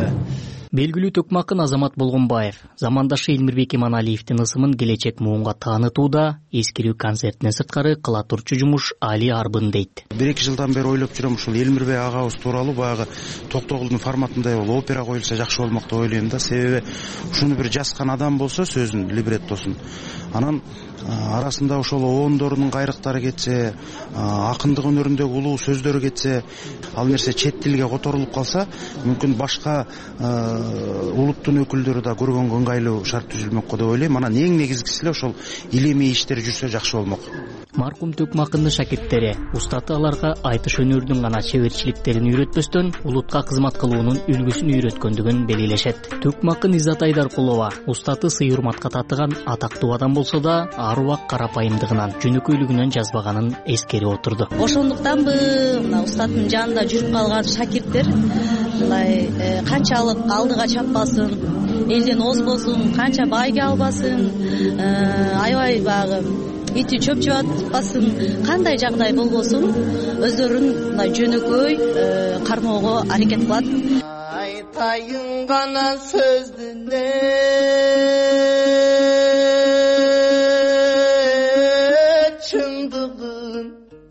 Белгилүү төкмө акын Азамат Болгонбаев замандашы Элмирбек Иманалиевдин ысымын келечек муунга таанытууда эскерүү концертинен сырткары кыла турчу жумуш али арбын дейт. бир эки жылдан бери ойлоп жүрөм, ушул Элмирбек агабыз тууралуу баягы Токтогулдун форматындай болуп опера коюлса жакшы болмок деп ойлойм да. Себеби ушуну бир жазган адам болсо, сөзүн, либреттосун, анан арасында ошол оондорунун кайрыктары кетсе, акындык өнөрүндөгү улуу сөздөрү кетсе, ал нерсе чет тилге которулуп калса, мүмкүн башка улуттун өкүлдөрү да көргөнгө ыңгайлуу шарт түзүлмөк го деп ойлойм. Анан эң негизгиси эле ошол илимий иштер жүрсө жакшы болмок. Маркум төкмө акындын шакирттери устаты аларга айтыш өнөрүнүн гана чеберчиликтерин үйрөтпөстөн улутка кызмат кылуунун үлгүсүн үйрөткөндүгүн белгилешет. Төкмө акын Иззат Айдаркулова устаты сый урматка татыган атактуу адам болсо да, ар убак карапайымдыгынан, жөнөкөйлүгүнөн жазбаганын эскерип отурду. Ошондуктанбы мына устаттын жанында жүрүп калган шакирттер мындай канчалык алдыга чаппасын, элден озбосун, канча байге албасын, аябай баягы ити чөп жыбатпасын, кандай жагдай болбосун, өздөрүн мындай жөнөкөй кармоого аракет кылат. Айтайын гана сөздүнө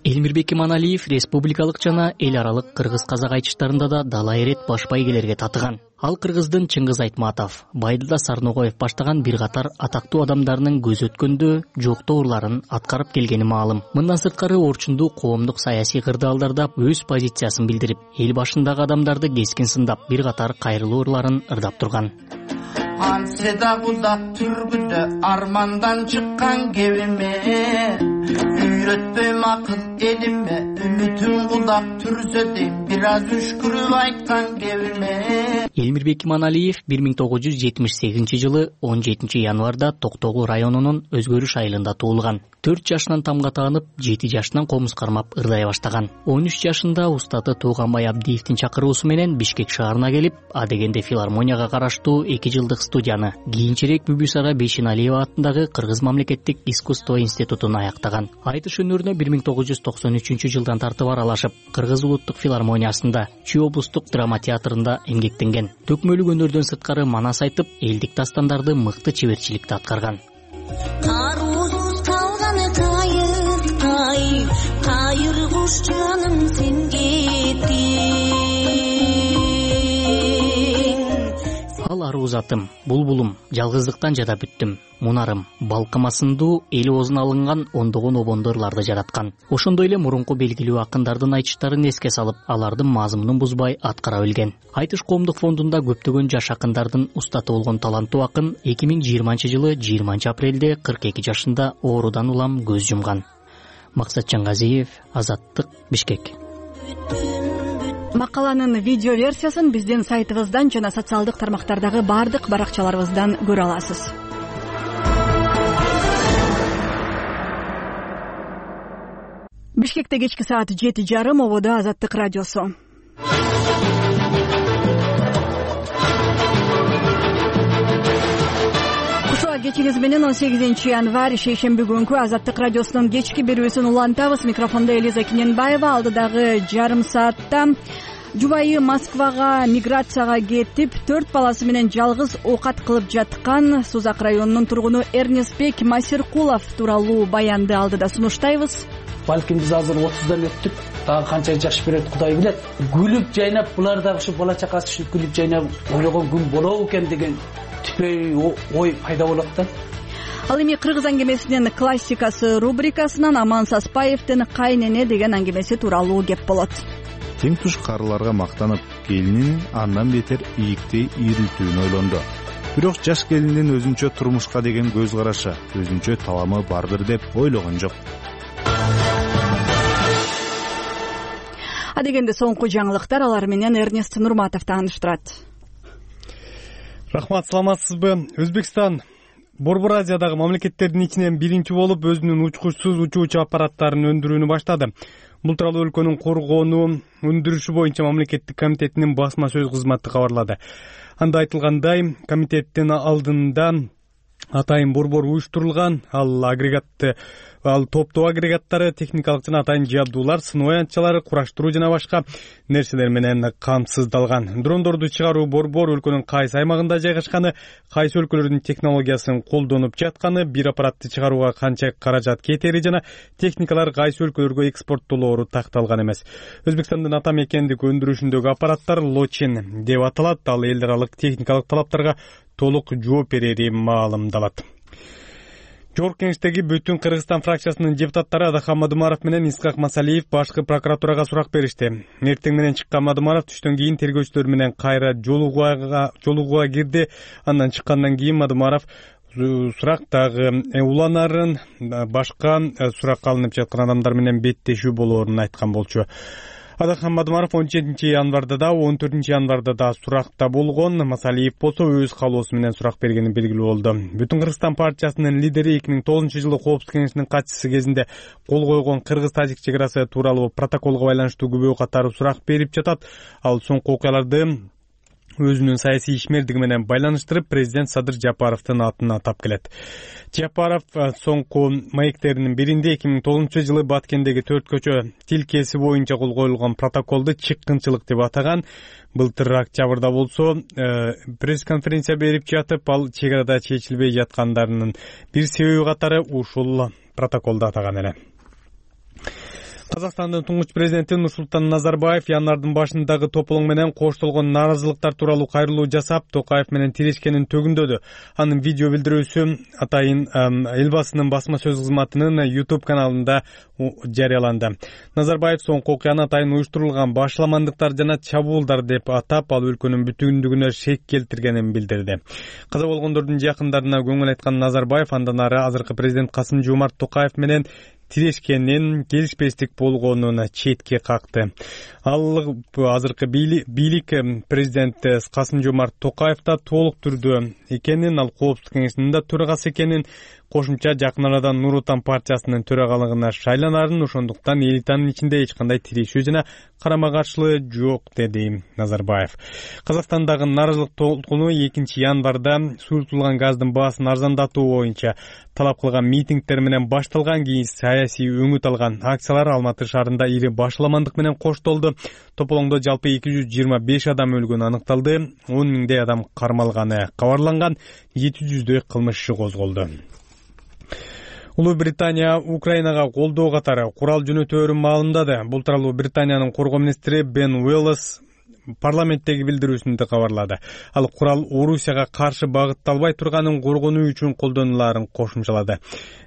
Элмирбек Иманалиев республикалык жана эл аралык кыргыз-казак айтыштарында да дала эрет баш байгелерге татыган. Ал кыргыздын Чыңгыз Айтматов, Байдылда Сарногоев баштаган бир катар атактуу адамдарынын көз өткөндө жоктоо урларын аткарып келгени маалым. Мындан сырткары орчундуу коомдук саясий кырдаалдарда өз позициясын билдирип, эл башындагы адамдарды кескин сындап, бир катар кайрылуу ырларын ырдап турган. Антсе дагы узак түргүдө армандан чыккан кебиме, үйрөтпөйм акыл элиме, үмүтүм кулдап түрсө дейм, бир аз үшкүрүп айткан кебиме. Элмирбек Иманалиев бир миң тогуз жүз жетимиш сегизинчи жылы он жетинчи январда Токтогул районунун Өзгөрүш айылында туулган. төрт жашынан тамга таанып, жети жашынан комуз кармап ырдай баштаган. он үч жашында устаты Тууганбай Абдиевдин чакыруусу менен Бишкек шаарына келип, адегенде филармонияга караштуу эки жылдык студияны, кийинчерээк Бүбүсара Бейшеналиева атындагы Кыргыз мамлекеттик искусство институтун аяктаган. Айтыш өнөрүнө бир миң тогуз жүз токсон үчүнчү жылдан тартып аралашып, Кыргыз улуттук филармониясында, Чүй облустук драма театрында эмгектенген. Төкмөлүк өнөрдөн сырткары манас айтып, элдик дастандарды мыкты чеберчиликте аткарган. каруусуз калганы кайыр кайыр кайыр куш жаным сен кеттиң. Ал аруу затым, булбулум, жалгыздыктан жада бүттүм. Мунарым, балкымасындуу эли оозуна алынган ондогон обондорлорду жараткан. Ошондой эле мурунку белгилүү акындардын айтыштарын эске салып, алардын мазмунун бузбай аткара билген. Айтыш коомдук фондунда көптөгөн жаш акындардын устаты болгон таланттуу акын эки миң жыйырманчы жылы жыйырманчы апрелде кырк эки жашында оорудан улам көз жумган. Максатжан Газиев, Азаттык, Бишкек. Макаланын видео версиясын биздин сайтыбыздан жана социалдык тармактардагы бардык баракчаларыбыздан көрө аласыз. Бишкекте кечки саат жети жарым, ободо Азаттык радиосу. Ушул кечиңиз менен он сегизинчи январь шейшемби күнкү Азаттык радиосунун кечки берүүсүн улантабыз. Микрофондо Элиза Киненбаева. Алдыдагы жарым саатта жубайы Москвага миграцияга кетип, төрт баласы менен жалгыз оокат кылып жаткан Сузак районунун тургуну Эрнестбек Масиркулов тууралуу баянды алдыда сунуштайбыз. Балким биз азыр отуздан өттүк, дагы канча жаш берет Кудай билет. Гүлүп жайнап, булар дагы ушу бала чакасы ушу гүлүп жайнап ойлогон күн болобу экен деген түпөй ой пайда болот да. Ал эми кыргыз аңгемесинин классикасы рубрикасынан Аман Саспаевдин Кайнене деген аңгемеси тууралуу кеп болот. Тең туш карыларга мактанып, келинин андан бетер ийиктей ийрилтүүнү ойлонду. Бирок жаш келиндин өзүнчө турмушка деген көз карашы, өзүнчө таламы бардыр деп ойлогон жок. Адегенде соңку жаңылыктар, алар менен Эрнест Нурматов тааныштырат. Рахмат, саламатсызбы? Өзбекстан Борбор Азиядагы мамлекеттердин ичинен биринчи болуп өзүнүн учкучсуз учуучу аппараттарын өндүрүүнү баштады. Бул тууралуу өлкөнүн коргоону өндүрүшү боюнча мамлекеттик комитетинин басма сөз кызматы кабарлады. Анда айтылгандай, комитеттин алдында атайын борбор уюштурулган, ал агрегатты ал топтоо агрегаттары, техникалык жана атайын жабдуулар, сыноо аянтчалары, кураштыруу жана башка нерселер менен камсыздалган. Дрондорду чыгаруу борбор өлкөнүн кайсы аймагында жайгашканы, кайсы өлкөлөрдүн технологиясын колдонуп жатканы, бир аппаратты чыгарууга канча каражат кетери жана техникалар кайсы өлкөлөргө экспорттолоору такталган эмес. Өзбекстандын ата мекендик өндүрүшүндөгү аппараттар Лочин деп аталат. Ал эл аралык техникалык талаптарга толук жооп берери маалымдалат. Жогорку кеңештеги Бүтүн Кыргызстан фракциясынын депутаттары Адахан Мадумаров менен Исхак Масалиев башкы прокуратурага сурак беришти. Эртең менен чыккан Мадумаров түштөн кийин тергөөчүлөр менен кайра жолугууга жолугууга кирди. Андан чыккандан кийин Мадумаров сурактагы уланарын, башка суракка алынып жаткан адамдар менен беттешүү болоорун айткан болчу. Адахан Мадумаров он жетинчи январда да, он төртүнчү январда да суракта болгон. Масалиев болсо өз каалоосу менен сурак бергени белгилүү болду. Бүтүн Кыргызстан партиясынын лидери эки миң тогузунчу жылы Коопсуздук кеңешинин катчысы кезинде кол койгон кыргыз-тажик чек арасы тууралуу протоколго байланыштуу күбө катары сурак берип жатат. Ал соңку окуяларды өзүнүн саясий ишмердиги менен байланыштырып, президент Садыр Жапаровдун атын атап келет. Жапаров соңку маектеринин биринде эки миң тогузунчу жылы Баткендеги төрт көчө тилкеси боюнча кол коюлган протоколду чыккынчылык деп атаган. Былтыр октябрда болсо пресс-конференция берип жатып, ал чек арада чечилбей жаткандарынын бир себеби катары ушул протоколду атаган эле. Казакстандын туңгуч президенти Нурсултан Назарбаев январдын башындагы тополоң менен коштолгон нааразылыктар тууралуу кайрылуу жасап, Токаев менен тирешкенин төгүндөдү. Анын видео билдирүүсү атайын Элбасынын басма сөз кызматынын YouTube каналында жарыяланды. Назарбаев соңку окуяны атайын уюштурулган башламандыктар жана чабуулдар деп атап, ал өлкөнүн бүтүндүгүнө шек келтиргенин билдирди. Каза болгондордун жакындарына көңүл айткан Назарбаев андан ары азыркы президент Касым Жомарт Токаев менен тирешкенин, келишпестик болгонун четке какты. Ал азыркы бийлик президент Касым Жомарт Токаевда толук түрдө экенин, ал Коопсуздук кеңешинин төрагасы экенин, кошумча жакын арада Нур Отан партиясынын төрагалыгына шайланарын, ошондуктан элитанын ичинде эч кандай тирешүү жана карама-каршылык жок, деди Назарбаев. Казакстандагы нааразылык толкуну экинчи январда суюртулган газдын баасын арзандатуу боюнча талап кылган митингдер менен башталган. Кийин саясий өңүт алган акциялар Алматы шаарында ири башламандык менен коштолду. Тополоңдо жалпы эки жүз жыйырма беш адам өлгөнү аныкталды, он миңдей адам кармалганы кабарланган, жети жүздөй кылмыш иши козголду. Улуу Британия Украинага колдоо катары курал жөнөтөөрүн маалымдады. Бул тууралуу Британиянын коргоо министри Бен Уэллс парламенттеги билдирүүсүндө кабарлады. Ал курал Орусияга каршы багытталбай турганын коргонуу үчүн колдонулаарын кошумчалады.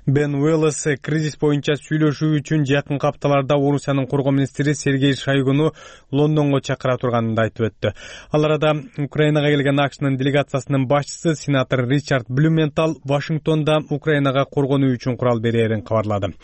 Бен Уэллс кризис боюнча сүйлөшүү үчүн жакынкы апталарда Орусиянын коргоо министри Сергей Шойгуну Лондонго чакыра турганын айтып өттү. Ал арада Украинага келген АКШнын делегациясынын башчысы сенатор Ричард Блюментал Вашингтонда Украинага коргонуу үчүн курал берерин кабарлады.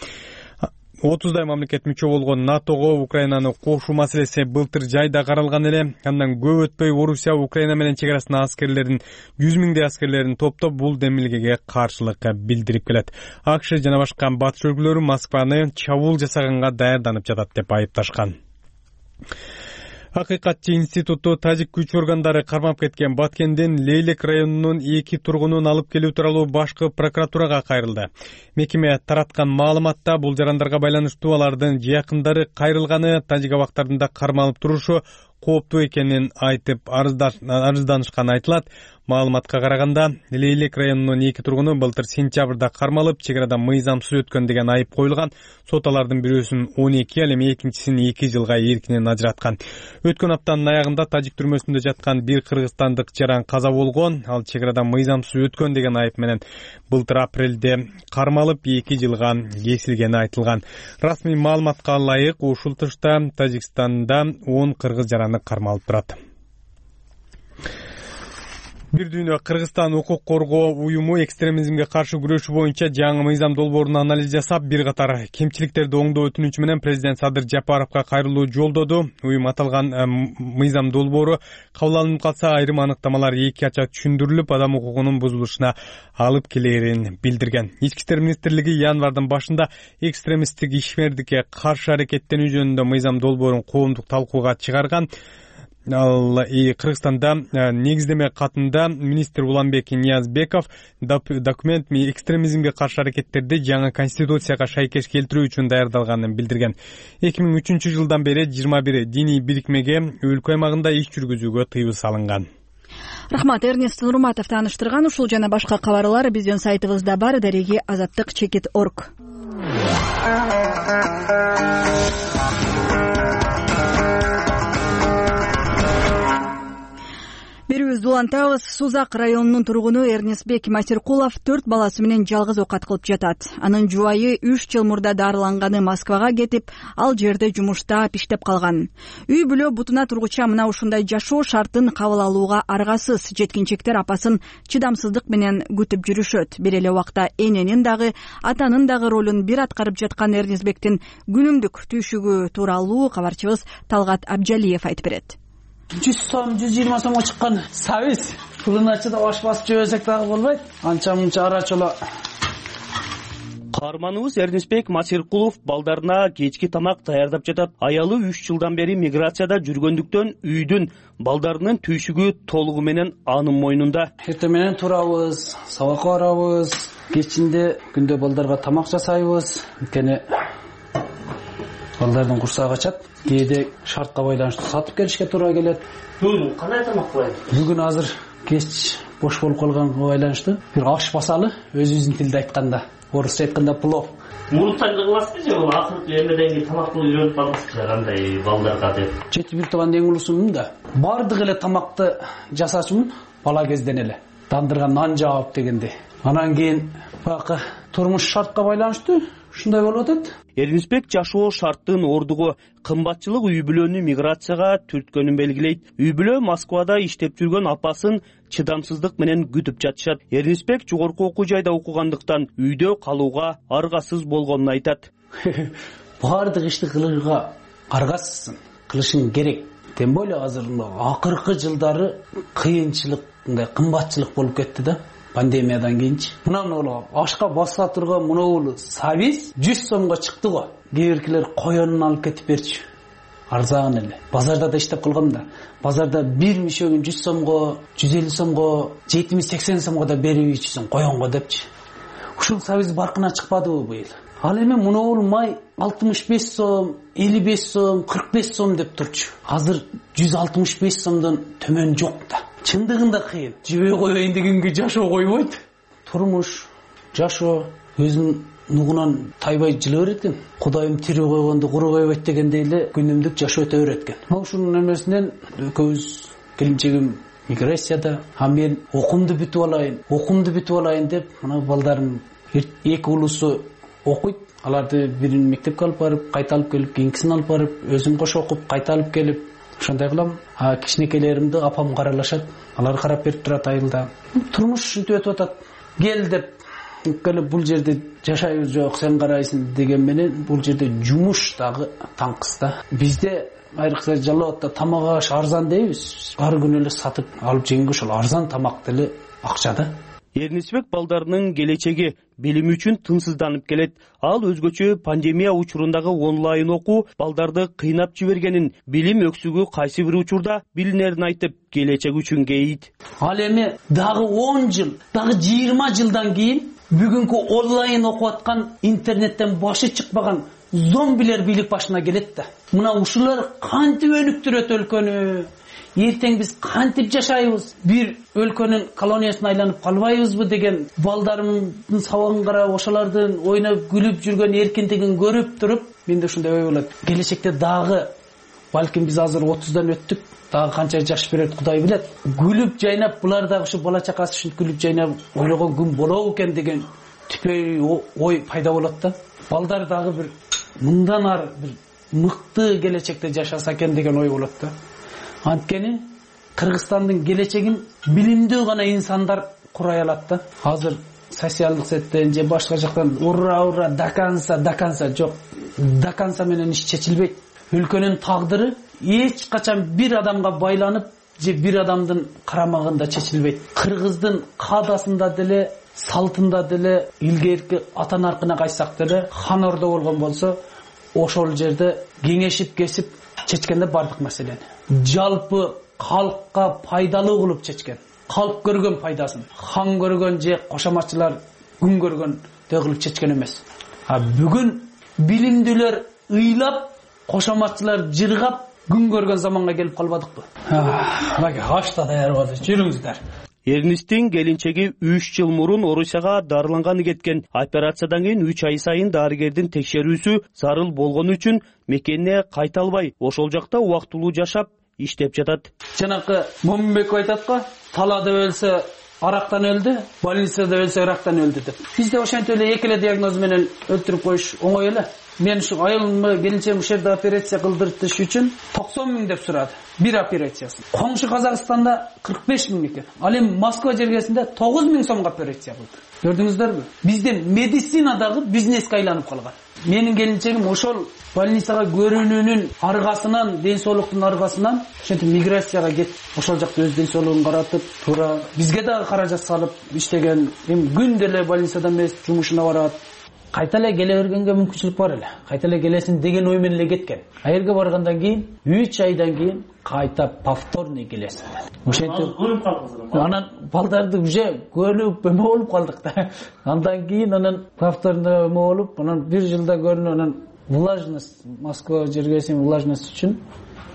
отуздай мамлекет мүчө болгон НАТОго Украинаны кошуу маселеси былтыр жайда каралган эле. Андан көп өтпөй Орусия Украина менен чек арасына аскерлерин, жүз миңдей аскерлерин топтоп бул демилгеге каршылык билдирип келет. АКШ жана башка батыш өлкөлөрү Москваны чабуул жасаганга даярданып жатат деп айыпташкан. Акыйкатчы институту тажик күч органдары кармап кеткен Баткендин Лейлек районунун эки тургунун алып келүү тууралуу башкы прокуратурага кайрылды. Мекеме тараткан маалыматта бул жарандарга байланыштуу алардын жакындары кайрылганы, тажик абактарында кармалып турушу кооптуу экенин айтып арызданышканы айтылат. Маалыматка караганда Лейлек районунун эки тургуну былтыр сентябрда кармалып, чек арада мыйзамсыз өткөн деген айып коюлган. Сот алардын бирөөсүн он эки, ал эми экинчисин эки жылга эркинен ажыраткан. Өткөн аптанын аягында тажик түрмөсүндө жаткан бир кыргызстандык жаран каза болгон. Ал чек арада мыйзамсыз өткөн деген айып менен былтыр апрелде кармалып эки жылга кесилгени айтылган. Расмий маалыматка ылайык ушул тышта Тажикстанда он кыргыз жараны кармалып турат. Бир дүйнө Кыргызстан укук коргоо уюму экстремизмге каршы күрөшүү боюнча жаңы мыйзам долбоорун анализ жасап, бир катар кемчиликтерди оңдоо өтүнүчү менен президент Садыр Жапаровго кайрылуу жолдоду. Уюм аталган мыйзам долбоору кабыл алынып калса, айрым аныктамалар эки ача түшүндүрүлүп, адам укугунун бузулушуна алып келерин билдирген. Ички иштер министрлиги январдын башында экстремисттик ишмердикке каршы аракеттенүү жөнүндө мыйзам долбоорун коомдук талкууга чыгарган. Ал Кыргызстанда негиздеме катында министр Уланбек Ниязбеков документ экстремизмге каршы аракеттерди жаңы конституцияга шайкеш келтирүү үчүн даярдалганын билдирген. эки миң үчүнчү жылдан бери жыйырма бир диний бирикмеге өлкө аймагында иш жүргүзүүгө тыюу салынган. Рахмат, Эрнест Нурматов тааныштырган. Ушул жана башка кабарлар биздин сайтыбызда бар, дареги азаттык чекит точка орг. Берүүбүздү улантабыз. Сузак районунун тургуну Эрнестбек Масиркулов төрт баласы менен жалгыз окат кылып жатат. Анын жубайы үч жыл мурда дарыланганы Москвага кетип, ал жерде жумушта пиштеп калган. Үй бүлө бутуна тургуча мына ушундай жашоо шартын кабыл алууга аргасыз. Жеткинчектер апасын чыдамсыздык менен күтүп жүрүшөт. Бир эле убакта эненин дагы, атанын дагы ролун бир аткарып жаткан Эрнестбектин күнүмдүк түйшүгү тууралуу кабарчыбыз Талгат Абжалиев айтып берет. жүз сом, жүз жыйырма сомго чыккан сабиз. Пулуначыда баш басып жөөсөк дагы болбойт. Анча мынча арачола. Каарманыбыз Эрнестбек Масиркулов балдарына кечки тамак даярдап жатат. Аялы үч жылдан бери миграцияда жүргөндүктөн үйдүн балдарынын түйшүгү толугу менен анын мойнунда. Эртең менен турабыз, сабакка барабыз, кечинде күндө балдарга тамак жасайбыз. Анткени балдардын курсагы ачат. Кээде шартка байланыштуу сатып келишке туура келет. Бүгүн кандай тамак кылайын? Бүгүн азыр кеч бош болуп калганга байланыштуу бир аш басалы, өзүбүздүн тилде айтканда, орусча айтканда плов. Мурунтан кыласызбы же бул акыркы эмеден тамак кылып үйрөнүп калдыңызбы кандай балдарга деп? Жети бир тууган эң улусумун да. Бардык эле тамакты жасачумун бала кезден эле. Дандырган нан жаап дегенде. Анан кийин бакы турмуш шартка байланыштуу ушундай болуп атат. Эрнестбек жашоо шарттын ордугу кымбатчылык үй бүлөнү миграцияга түрткөнүн белгилейт. Үй бүлө Москвада иштеп жүргөн апасын чыдамсыздык менен күтүп жатышат. Эрнестбек жогорку окуу жайда окугандыктан үйдө калууга аргасыз болгонун айтат. Бардык ишти кылууга аргасызсың, кылышың керек. Тем более азыр акыркы жылдары кыйынчылык, мындай кымбатчылык болуп кетти да. Пандемиядан кийинчи. Мына ашка баса турган мына сабиз жүз сомго чыкты го. Кээ биркилер коёнун алып кетип берчү. Арзан эле. Базарда да иштеп калгам да. Базарда бир мишөгүн жүз сомго, жүз элүү сомго, жетимиш сексен сомго да берип ичсең коёнго депчи. Ушул сабиз баркына чыкпадыбы быйыл? Ал эми мына май алтымыш беш сом, элүү беш сом, кырк беш сом деп турчу. Азыр жүз алтымыш беш сомдон төмөн жок да. Чындыгында кыйын. Жебей коеюн дегенге жашоо койбойт. Турмуш, жашоо, өзүм нугунан тайбай жылы берет экен. Кудайым тирүү койгонду куру койбойт дегендей эле күнүмдүк жашоо өтө берет экен. Мына ушунун эмесинен экөөбүз келинчегим миграцияда, а мен окуумду бүтүп алайын, окуумду бүтүп алайын деп мына балдарым эки улусу окуйт. Аларды бирин мектепке алып барып, кайта алып келип, кийинкисин алып барып, өзүм кошо окуп, кайта алып келип, ошондой кылам. А кичинекейлеримди апам каралашат. Алар карап берип турат айылда. Турмуш ушинтип өтүп атат. Кел деп келип бул жерде жашайбыз жок, сен карайсың деген менен бул жерде жумуш дагы таңкыс да. Бизде айрыкча Жалал Абадда тамак аш арзан дейбиз. Ар күнү эле сатып алып жегенге ошол арзан тамак деле акча да. Эрнисбек балдарынын келечеги билим үчүн тынсызданып келет. Ал өзгөчө пандемия учурундагы онлайн окуу балдарды кыйнап жибергенин, билим өксүгү кайсы бир учурда билинерин айтып, келечек үчүн кейит. Ал эми дагы он жыл, дагы жыйырма жылдан кийин бүгүнкү онлайн окуп аткан, интернеттен башы чыкпаган зомбилер бийлик башына келет да. Мына ушулар кантип өнүктүрөт өлкөнү? Эртең биз кантип жашайбыз? Бир өлкөнүн колониясына айланып калбайбызбы деген балдарымдын сабагын карап, ошолордун ойноп күлүп жүргөн эркиндигин көрүп туруп, менде ушундай ой болот. Келечекте дагы балким биз азыр отуздан өттүк, дагы канча жаш берет Кудай билет. Күлүп жайнап, булар дагы ушу бала чакасы үчүн күлүп жайнап ойлогон күн болобу экен деген түпөй ой пайда болот да. Балдар дагы бир мындан ары бир мыкты келечекте жашаса экен деген ой болот да. Анткени Кыргызстандын келечегин билимдүү гана инсандар курай алат да. Азыр социалдык сеттен же башка жактан ура ура даканса даканса жок. Даканса менен иш чечилбейт. Өлкөнүн тагдыры эч качан бир адамга байланып же бир адамдын карамагында чечилбейт. Кыргыздын каадасында деле, салтында деле, илгерки ата наркына кайсак деле хан ордо болгон болсо, ошол жерде кеңешип кесип чечкенде бардык маселени жалпы калкка пайдалуу кылып чечкен. Калк көргөн пайдасын, хан көргөн же кошоматчылар күн көргөн деп кылып чечкен эмес. А бүгүн билимдүүлөр ыйлап, кошоматчылар жыргап күн көргөн заманга келип калбадыкпы? Мына ашта даяр болду, жүрүңүздөр. Эрнистин келинчеги үч жыл мурун Орусияга дарыланганы кеткен. Операциядан кийин үч ай сайын дарыгердин текшерүүсү зарыл болгону үчүн мекенине кайта албай, ошол жакта убактылуу жашап, иштеп жатат. Жанакы Момунбеков айтат го, талада өлсө арактан өлдү, больницада өлсө ырактан өлдү деп. Бизде ошентип эле эки эле диагноз менен өлтүрүп коюш оңой эле. Мен ушу айылымы келинчем ушул жерде операция кылдыртыш үчүн токсон миң деп сурады. Бир операциясы. Коңшу Казакстанда кырк беш миң экен. Ал эми Москва жергесинде тогуз миң сомго операция кылды. Көрдүңүздөрбү? Бизде медицинадагы бизнеске айланып калган. Менин келинчегим ошол больницага көрүнүүнүн аргасынан, ден соолуктун аргасынан ошентип миграцияга кетип, ошол жакта өз ден соолугун каратып, туура бизге дагы каражат салып иштеген. Эми күндө эле больницада эмес, жумушуна барат. Кайта эле келе бергенге мүмкүнчүлүк бар эле. Кайта эле келесин деген ой менен эле кеткен. А жерге баргандан кийин үч айдан кийин кайта повторный келесин. Ошентип көрүп калдыңыз. Анан балдарды уже көрүп эме болуп калдык да. Андан кийин анан повторный эме болуп, анан бир жылда көрүнүп, анан влажность, Москва жергесин влажность үчүн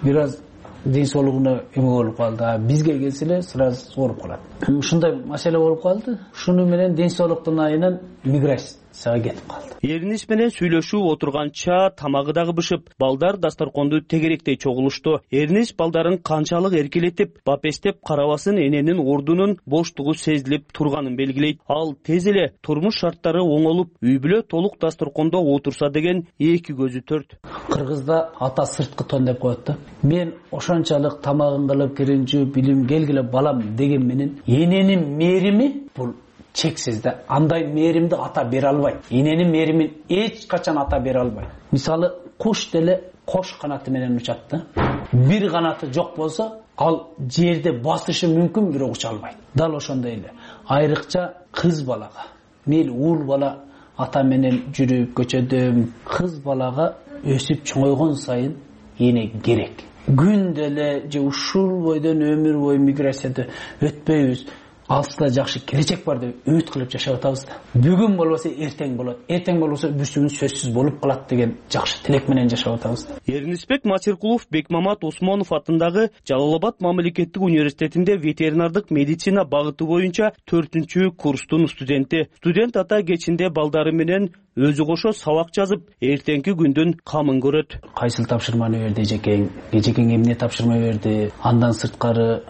бир аз ден соолугуна эме болуп калды. А бизге келсе эле сразу ооруп калат. Ушундай маселе болуп калды. Шуну менен ден соолуктун айынан миграция кетип калды. Эрнис менен сүйлөшүп отурганча тамагы дагы бышып, балдар дасторконду тегеректей чогулушту. Эрнис балдарын канчалык эркелетип, бапестеп карабасын эненин ордунун боштугу сезилип турганын белгилейт. Ал тез эле турмуш шарттары оңолуп, үй бүлө толук дасторкондо отурса деген эки көзү төрт. Кыргызда ата сырткы тон деп коет да. Мен ошончалык тамагын кылып киринчү билим келгиле балам деген менен эненин мээрими бул чексиз да. Андай мээримди ата бере албайт. Эненин мээримин эч качан ата бере албайт. Мисалы, куш деле кош канаты менен учат да. Бир канаты жок болсо, ал жерде басышы мүмкүн, бирок уча албайт. Дал ошондой эле. Айрыкча кыз балага, мейли уул бала ата менен жүрүп көчөдө, кыз балага өсүп чоңойгон сайын эне керек. Күндө эле же ушул бойдон өмүр бою миграцияда өтпөйбүз. алыста жакшы келечек бар деп үмүт кылып жашап атабыз да. Бүгүн болбосо эртең болот, эртең болбосо бүрсүгүн сөзсүз болуп калат деген жакшы тилек менен жашап атабыз да. Эрнисбек Масиркулов Бекмамат Осмонов атындагы Жалал Абад мамлекеттик университетинде ветеринардык медицина багыты боюнча төртүнчү курстун студенти. Студент ата кечинде балдары менен өзү кошо сабак жазып, эртеңки күндүн камын көрөт. Кайсыл тапшырманы берди эжекең, эжекең эмне тапшырма берди, андан сырткары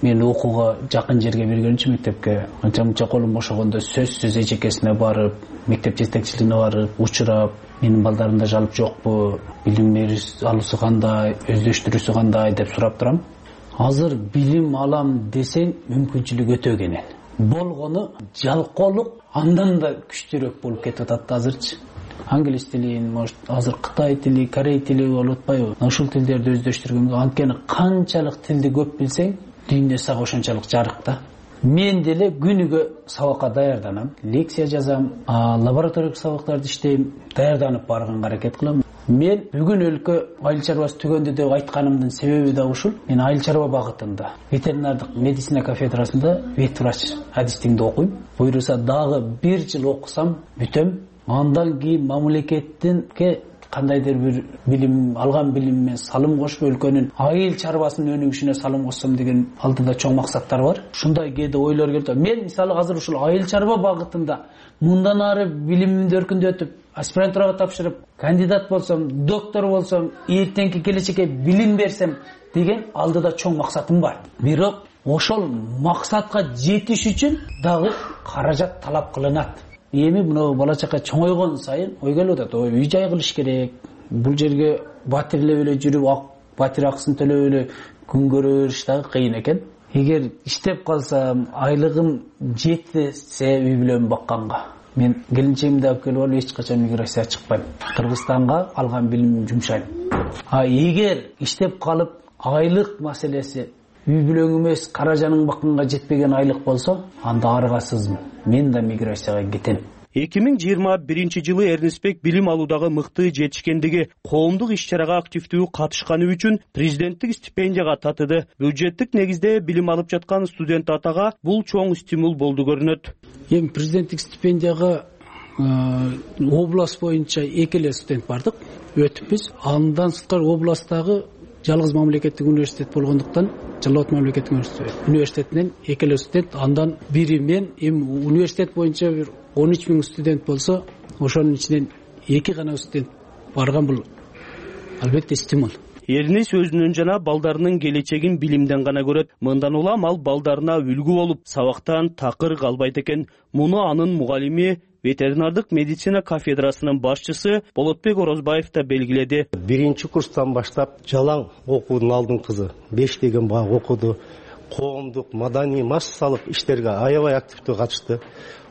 мен окууга жакын жерге бергенчи мектепке анча мынча колум бошогондо сөзсүз эжекесине барып, мектеп жетекчилигине барып, учурап, менин балдарымда жалп жокпу, билим алуусу кандай, өздөштүрүүсү кандай деп сурап турам. Азыр билим алам десең мүмкүнчүлүк өтө кенен. Болгону жалкоолук андан да күчтүүрөөк болуп кетип атат азырчы. Англис тилин, может, азыр Кытай тили, Корей тили болуп атпайбы? Ушул тилдерди өздөштүргөнгө, анткени канчалык тилди көп билсең, дүйнө сага ошончолук жарык да. Мен деле күнүгө сабакка даярданам, лекция жазам, лабораториялык сабактарды иштейм, даярданып барганга аракет кылам. Мен бүгүн өлкө айыл чарбасы түгөндү деп айтканымдын себеби да ушул. Мен айыл чарба багытында, ветеринардык медицина кафедрасында ветврач адистигинде окуйм. Буйруса дагы бир жыл окусам бүтөм. Андан кийин мамлекеттинке кандайдыр бир билим алган билиммен салым кошуп өлкөнүн айыл чарбасынын өнүгүшүнө салым кошсом деген алдыда чоң максаттар бар. Ушундай кээде ойлор келет. Мен мисалы азыр ушул айыл чарба багытында мындан ары билимимди өркүндөтүп, аспирантурага тапшырып, кандидат болсом, доктор болсом, эртеңки келечекке билим берсем деген алдыда чоң максатым бар. Бирок ошол максатка жетиш үчүн дагы каражат талап кылынат. Эми мына бала чака чоңойгон сайын ой келип атат. Ой, үй жай кылыш керек. Бул жерге батирлеп эле жүрүп, батир акысын төлөп эле күн көрө бериш дагы кыйын экен. Эгер иштеп калсам, айлыгым жетсе үй бүлөм бакканга, мен келинчегимди алып келип алып эч качан миграция чыкпайм. Кыргызстанга алган билимимди жумшайм. А эгер иштеп калып айлык маселеси үй бүлөң эмес, каражаның бакканга жетпеген айлык болсо, анда аргасызмын. Мен да миграцияга кетем. эки миң жыйырма биринчи жылы Эрнисбек билим алуудагы мыкты жетишкендиги, коомдук иш-чарага активдүү катышканы үчүн президенттик стипендияга татыды. Бюджеттик негизде билим алып жаткан студент атага бул чоң стимул болду көрүнөт. Эми президенттик стипендияга область боюнча эки эле студент бардык, өтүпбүз. Андан сырткары областтагы жалгыз мамлекеттик университет болгондуктан Жалал Абад мамлекеттик университетинен эки эле студент, андан бири мен. Эми университет боюнча бир он үч миң студент болсо, ошонун ичинен эки гана студент барган, бул албетте стимул. Эрнис өзүнүн жана балдарынын келечегин билимден гана көрөт. Мындан улам ал балдарына үлгү болуп, сабактан такыр калбайт экен. Муну анын мугалими, ветеринардык медицина кафедрасынын башчысы Болотбек Орозбаев да белгиледи. Биринчи курстан баштап жалаң окуудун алдыңкызы беш деген бак окуду, коомдук, маданий массалык иштерге аябай активдүү катышты.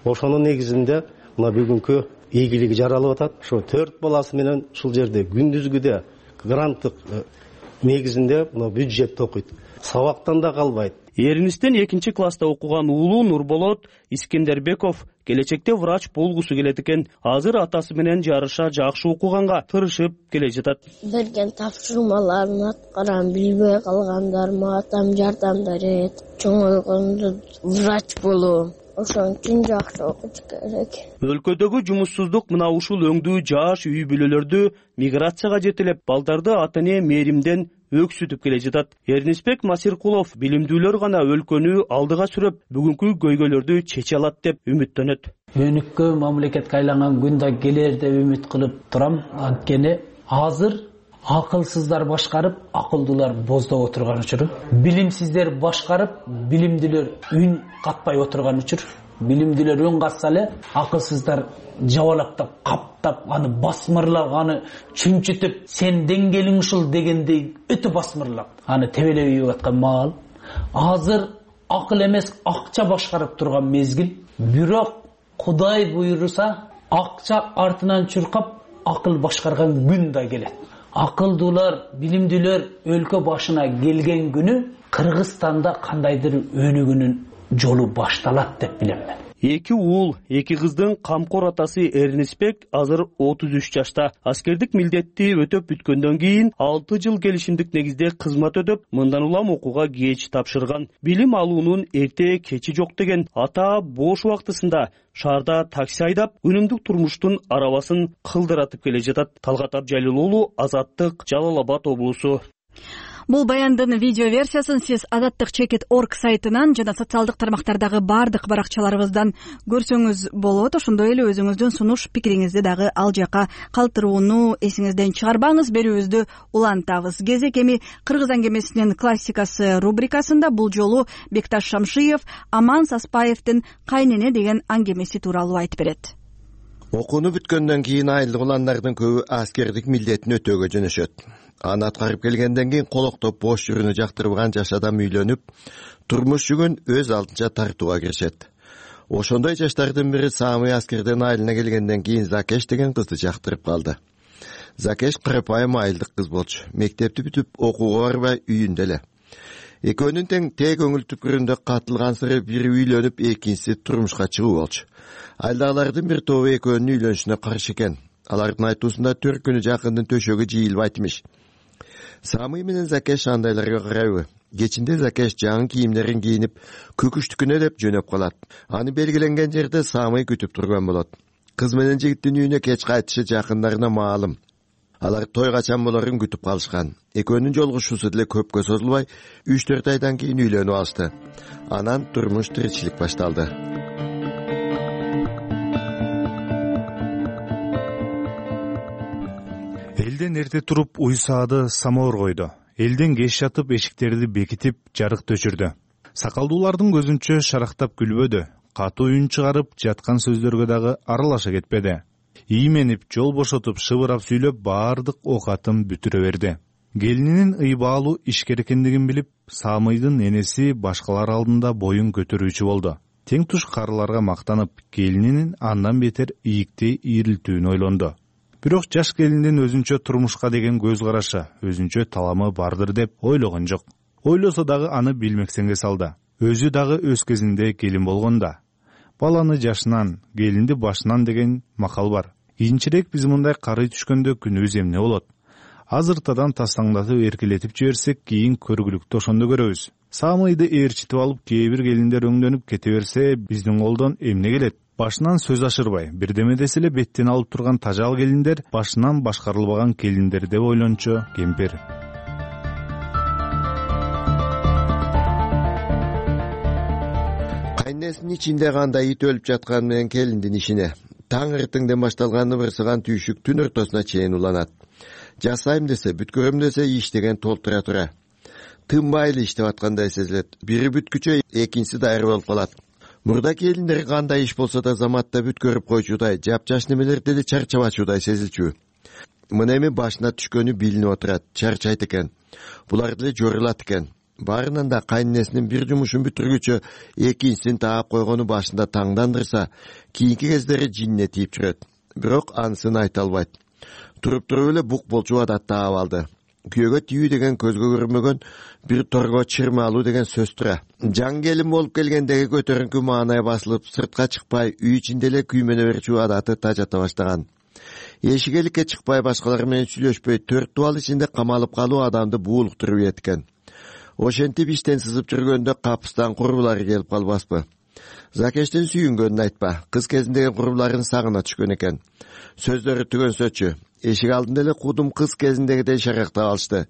Ошонун негизинде мына бүгүнкү ийгилиги жаралып атат. Ошо төрт баласы менен ушул жерде күндүзгүдө гранттык негизинде мына бюджетте окуйт. Сабактан да калбайт. Эрнистен экинчи класста окуган уулу Нурболот Искендербеков келечекте врач болгусу келет экен. Азыр атасы менен жарыша жакшы окуганга тырышып келе жатат. Берген тапшырмаларын аткарам, билбей калгандарыма атам жардам берет. Чоңойгондо врач болом. Ошон үчүн жакшы окуш керек. Өлкөдөгү жумуссуздук мына ушул өңдүү жаш үй бүлөлөрдү миграцияга жетелеп, балдарды ата-эне мээримден өксүтүп келе жатат. Эрнисбек Масиркулов билимдүүлөр гана өлкөнү алдыга сүрөп, бүгүнкү көйгөйлөрдү чече алат деп үмүттөнөт. Өнүккөн мамлекетке айланган күн да келер деп үмүт кылып турам. Анткени азыр акылсыздар башкарып, акылдуулар боздоп отурган учур. Билимсиздер башкарып, билимдүүлөр үн катпай отурган учур. Билимдүүлөр үн катса эле, акылсыздар жабалактап, каптап, аны басмырлап, аны чүнчүтүп, сен деңгээлиң ушул дегендей өтө басмырлап, аны тебелеп ийип аткан маал. Азыр акыл эмес, акча башкарып турган мезгил. Бирок Кудай буйруса, акча артынан чуркап, акыл башкарган күн да келет. Акылдуулар, билимдүүлөр өлкө башына келген күнү Кыргызстанда кандайдыр өнүгүүнүн жолу башталат деп билем мен. Эки уул, эки кыздын камкор атасы Эрнисбек азыр отуз үч жашта. Аскердик милдетти өтөп бүткөндөн кийин алты жыл келишимдик негизде кызмат өтөп, мындан улам окууга кеч тапшырган. Билим алуунун эрте кечи жок деген ата бош убактысында шаарда такси айдап, үнүмдүк турмуштун арабасын кылдыратып келе жатат. Талгат Абжалил уулу, Азаттык, Жалал Абад облусу. Бул баяндын видео версиясын сиз азаттык чекит точка орг сайтынан жана социалдык тармактардагы бардык баракчаларыбыздан көрсөңүз болот. Ошондой эле өзүңүздүн сунуш пикириңизди дагы ал жака калтырууну эсиңизден чыгарбаңыз. Берүүбүздү улантабыз. Кезек эми Кыргыз аңгемесинин классикасы рубрикасында бул жолу Бекташ Шамшиев Аман Саспаевдин Кайнене деген аңгемеси тууралуу айтып берет. Окууну бүткөндөн кийин айылдык уландардын көбү аскердик милдетин өтөөгө жөнөшөт. Аны аткарып келгенден кийин колоктоп бош жүрүүнү жактырбаган жаш адам үйлөнүп, турмуш жүгүн өз алдынча тартууга киришет. Ошондой жаштардын бири Самый аскерден айылына келгенден кийин Закеш деген кызды жактырып калды. Закеш карапайым айылдык кыз болчу. Мектепти бүтүп, окууга барбай үйүндө эле. Экөөнүн тең тээ көңүл түкүрүндө катылгансыры бири үйлөнүп, экинчиси турмушка чыгуу болчу. Айылдагылардын бир тобу экөөнүн үйлөнүшүнө каршы экен. Алардын айтуусунда төрт күнү жакындын төшөгү жыйылбайт имиш. Самый менен Закеш андайларга карайбы. Кечинде Закеш жаңы кийимдерин кийинип, көкүштүкүнө деп жөнөп калат. Аны белгиленген жерде Самый күтүп турган болот. Кыз менен жигиттин үйүнө кеч кайтышы жакындарына маалым. Алар той качан болорун күтүп калышкан. Экөөнүн жолугушуусу деле көпкө созулбай, үч төрт айдан кийин үйлөнүп алышты. Анан турмуш тиричилик башталды. Элден эрте туруп уйсаады самовар койду. Элден кеч жатып эшиктерди бекитип жарык өчүрдү. Сакалдуулардын көзүнчө шарактап күлбөдү. Катуу үн чыгарып жаткан сөздөргө дагы аралаша кетпеди. Ийменип, жол бошотуп, шыбырап сүйлөп, баардык оокатын бүтүрө берди. Келининин ыйбаалуу ишкер экендигин билип, Самыйдын энеси башкалар алдында боюн көтөрүүчү болду. Тең туш карыларга мактанып, келининин андан бетер ийиктей ийрилтүүнү ойлонду. Бирок жаш келиндин өзүнчө турмушка деген көз карашы, өзүнчө таламы бардыр деп ойлогон жок. Ойлосо дагы аны билмексенге салды. Өзү дагы өз кезинде келин болгонда. Баланы жашынан, келинди башынан деген макал бар. Кийинчерээк биз мындай карый түшкөндө күнүбүз эмне болот? Азыртадан тастаңдатып эркелетип жиберсек, кийин көргүлүктү ошондо көрөбүз. Самыйды ээрчитип алып, кээ бир келиндер өңдөнүп кете берсе, биздин колдон эмне келет? Башынан сөз ашырбай, бирдеме десе эле беттен алып турган тажал келиндер, башынан башкарылбаган келиндер деп ойлончу кемпир. Кайнесинин ичинде кандай ит өлүп жатканы менен келиндин ишине. Таң эртеңден башталган ыбырсыган түйшүк түн ортосуна чейин уланат. Жасайм десе, бүткөрөм десе иштеген толтура тура. Тынбай эле иштеп аткандай сезилет. Бири бүткүчө, экинчиси дайыр болуп калат. Мурда келиндер кандай иш болсо да заматта бүткөрүп койчудай, жапжаш немелер деле чарчабачудай сезилчү. Мына эми башына түшкөнү билинип отурат, чарчайт экен. Булар деле жорулат экен. Баарынан да кайненесинин бир жумушун бүтүргүчө экинчисин таап койгону башында таңдандырса, кийинки кездери жинне тийип жүрөт. Бирок анысын айта албайт. Туруп туруп эле бук болчу адат таап алды. Күйөөгө тийүү деген көзгө көрүнбөгөн, бир торго чырмалуу деген сөз тура. Жаңы келин болуп келгендеги көтөрүнкү маанай басылып, сыртка чыкпай, үй ичинде эле күймөнө берчү адаты тажата баштаган. Эшигеликке чыкпай, башкалар менен сүйлөшпөй, төрт дубал ичинде камалып калуу адамды буулуктуруп экен. Ошентип иштен сызып жүргөндө капыстан курбулары келип калбаспы? Закештин сүйүнгөнүн айтпа, кыз кезиндеги курбуларын сагына түшкөн экен. Сөздөрү түгөнсөчү, эшик алдында эле кудум кыз кезиндегидей шарактап алышты.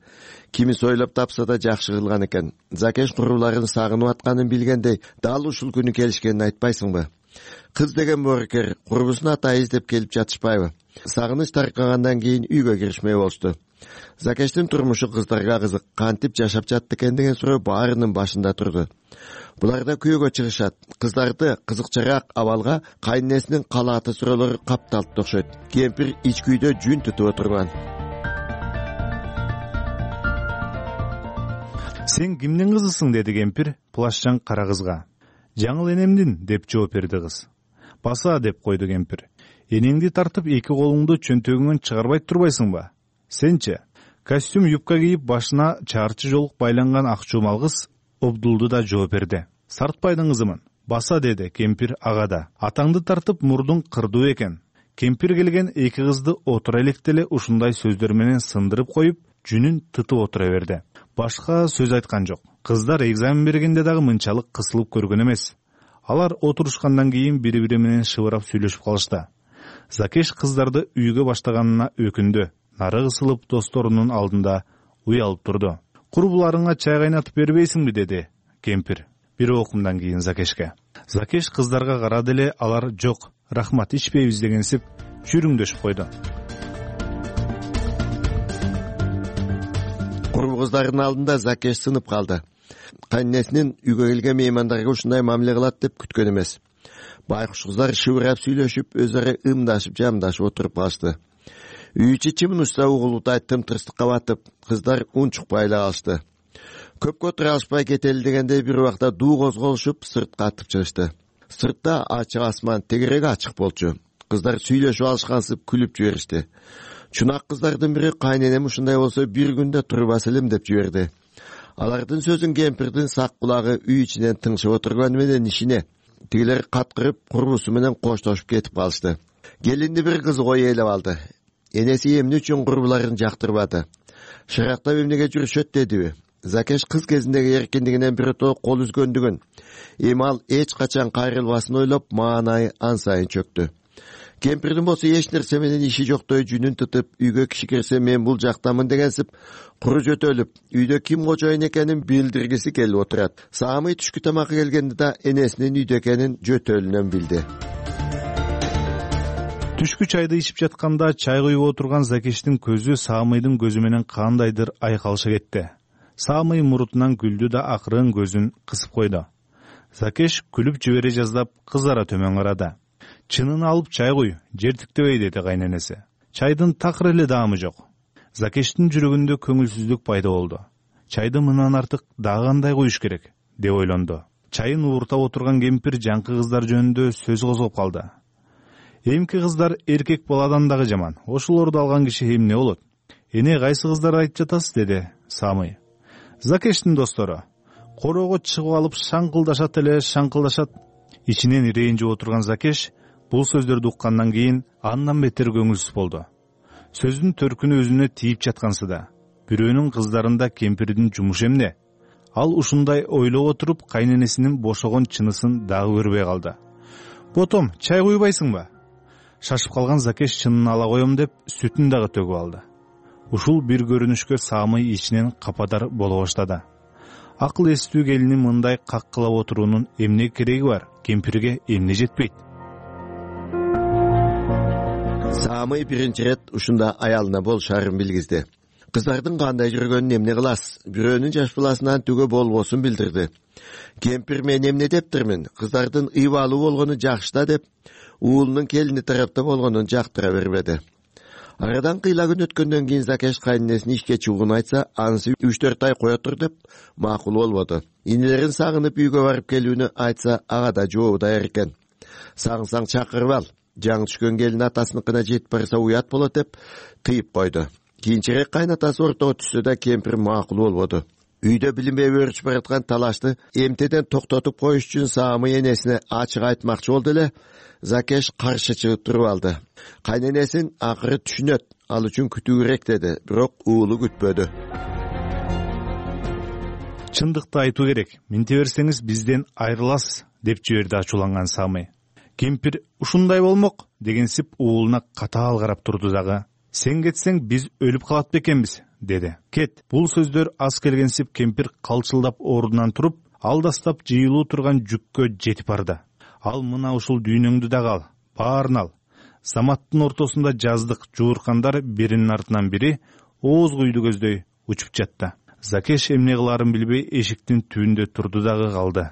Кимис ойлоп тапса да жакшы кылган экен. Закеш курбуларын сагынып атканын билгендей, дал ушул күнү келишкенин айтпайсыңбы? Кыз деген боорукер, курбусун ата издеп келип жатышпайбы? Сагыныч таркагандан кийин үйгө киришмей болушту. Закештин турмушу кыздарга кызык, кантип жашап жатты экен деген суроо баарынын башында турду. Булар да күйөөгө чыгышат. Кыздарды кызыкчараак абалга кайненесинин калааты суроолору капталып окшойт. Кемпир ич күйдө жүн тутуп отурган. Сен кимдин кызысың, деди кемпир плашчан кара кызга. Жаңыл энемдин, деп жооп берди кыз. Баса, деп койду кемпир. Энеңди тартып эки колуңду чөнтөгүңөн чыгарбай турбайсыңбы? Сенчи? Костюм юбка кийип, башына чаарчы жолук байланган ак чумал кыз Обдулду да жооп берди. Сартбайдын кызымын. баса деди кемпир ага да. Атаңды тартып мурдуң кырдуу экен. Кемпир келген эки кызды отура электе эле ушундай сөздөр менен сындырып коюп, жүнүн тытып отура берди. Башка сөз айткан жок. Кыздар экзамен бергенде дагы мынчалык кысылып көргөн эмес. Алар отурушкандан кийин бири-бири менен шыбырап сүйлөшүп калышты. Закеш кыздарды үйгө баштаганына өкүндү. Нары кысылып досторунун алдында уялып турду. Курбуларыңа чай кайнатып бербейсиңби деди кемпир бир окумдан кийин Закешке. Закеш кыздарга карады эле, алар жок, рахмат, ичпейбиз дегенсип жүрүңдөшүп койду. Курбу кыздардын алдында Закеш сынып калды. Кайнесинин үйгө келген меймандарга ушундай мамиле кылат деп күткөн эмес. Байкуш кыздар шыбырап сүйлөшүп, өз ара ымдашып, жамдашып отуруп калышты. Үй ичи чымынышта угулутай тымтырстыкка батып, кыздар унчукпай эле калышты. Көпкө отура алышпай кетели дегенде бир убакта дуу козголушуп, сыртка атып чыгышты. Сыртта ачык асман, тегереги ачык болчу. Кыздар сүйлөшүп алышкансып күлүп жиберишти. Чунак кыздардын бири кайненем ушундай болсо бир күндө турбас элем деп жиберди. Алардын сөзүн кемпирдин сак кулагы үй ичинен тыңшып отурганы менен ишине. Тигилер каткырып, курбусу менен коштошуп кетип калышты. Келинди бир кыз ой ээлеп алды. Энеси эмне үчүн курбуларын жактырбады? Шырактап эмнеге жүрүшөт дедиби? Закеш кыз кезиндеги эркиндигинен бирото кол үзгөндүгүн, эми ал эч качан кайрылбасын ойлоп, маанайы ан сайын чөктү. Кемпирдин болсо эч нерсе менен иши жоктой жүнүн тытып, үйгө киши кирсе мен бул жактамын дегенсип, куру жөтөлүп, үйдө ким кожоюн экенин билдиргиси келип отурат. Саамый түшкү тамакка келгенде да энесинин үйдө экенин жөтөлүнөн билди. Түшкү чайды ичип жатканда чай куюп отурган Закештин көзү Саамыйдын көзү менен кандайдыр айкалыша кетти. Саамый мурутунан күлдү да акырын көзүн кысып койду. Закеш күлүп жибере жаздап кызара төмөн карады. Чынын алып чай куй, жертиктебей деди кайненеси. Чайдын такыр эле даамы жок. Закештин жүрөгүндө көңүлсүздүк пайда болду. Чайды мындан артык дагы кандай куюш керек деп ойлонду. Чайын ууртап отурган кемпир жаңкы кыздар жөнүндө сөз козгоп калды. Эмки кыздар эркек баладан дагы жаман. Ошолорду алган киши эмне болот? Эне кайсы кыздар айтып жатасыз деди Саамый. Закештин достору короого чыгып алып шаңкылдашат эле, шаңкылдашат. Ичинен ренжип отурган Закеш бул сөздөрдү уккандан кийин андан бетер көңүлсүз болду. Сөздүн төркүнү өзүнө тийип жаткансыда. Бирөөнүн кыздарында кемпирдин жумушу эмне? Ал ушундай ойлоп отуруп, кайненесинин бошогон чынысын дагы көрбөй калды. Ботом, чай куйбайсыңбы? Шашып калган Закеш чынын ала коем деп сүтүн дагы төгүп алды. Ушул бир көрүнүшкө Саамый ичинен кападар боло баштады. Акыл эстүү келинин мындай каккылап отуруунун эмне кереги бар? Кемпирге эмне жетпейт? Саамый биринчи ирет ушунда аялына болушарын билгизди. Кыздардын кандай жүргөнүн эмне кыласыз? Бирөөнүн жаш баласынан түгө болбосун билдирди. Кемпир мен эмне дептирмин? Кыздардын ыйбалуу болгону жакшы да деп, уулунун келини тарапта болгонун жактыра бербеди. Арадан кыйла күн өткөндөн кийин Закеш кайненесине ишке чыгууну айтса, анысы үч төрт ай кое тур деп макул болбоду. Инелерин сагынып үйгө барып келүүнү айтса, ага да жообу даяр экен. Сагынсаң чакырып ал. Жаңы түшкөн келин атасыныкына жетип барса уят болот деп тыйып койду. Кийинчерээк кайнатасы ортого түшсө да кемпир макул болбоду. Үйдө билинбей өрчүп бараткан талашты эмтеден токтотуп коюш үчүн Саамый энесине ачык айтмакчы болду эле, Закеш каршы чыгып туруп алды. Кайненесин акыры түшүнөт, ал үчүн күтүү керек деди, бирок уулу күтпөдү. Чындыкты айтуу керек. Менте берсеңиз бизден айрыласыз деп жиберди ачууланган Саамый. Кемпир ушундай болмок дегенсип уулуна катаал карап турду дагы. Сен кетсең биз өлүп калат бекенбиз деди. Кет. Бул сөздөр аз келгенсип кемпир калчылдап ордунан туруп, алдастап жыйылуу турган жүккө жетип барды. Ал мына ушул дүйнөңдү дагы ал, баарын ал. Заматтын ортосунда жаздык жууркандар биринин артынан бири ооз куйду көздөй учуп жатты. Закеш эмне кыларын билбей эшиктин түбүндө турду дагы калды.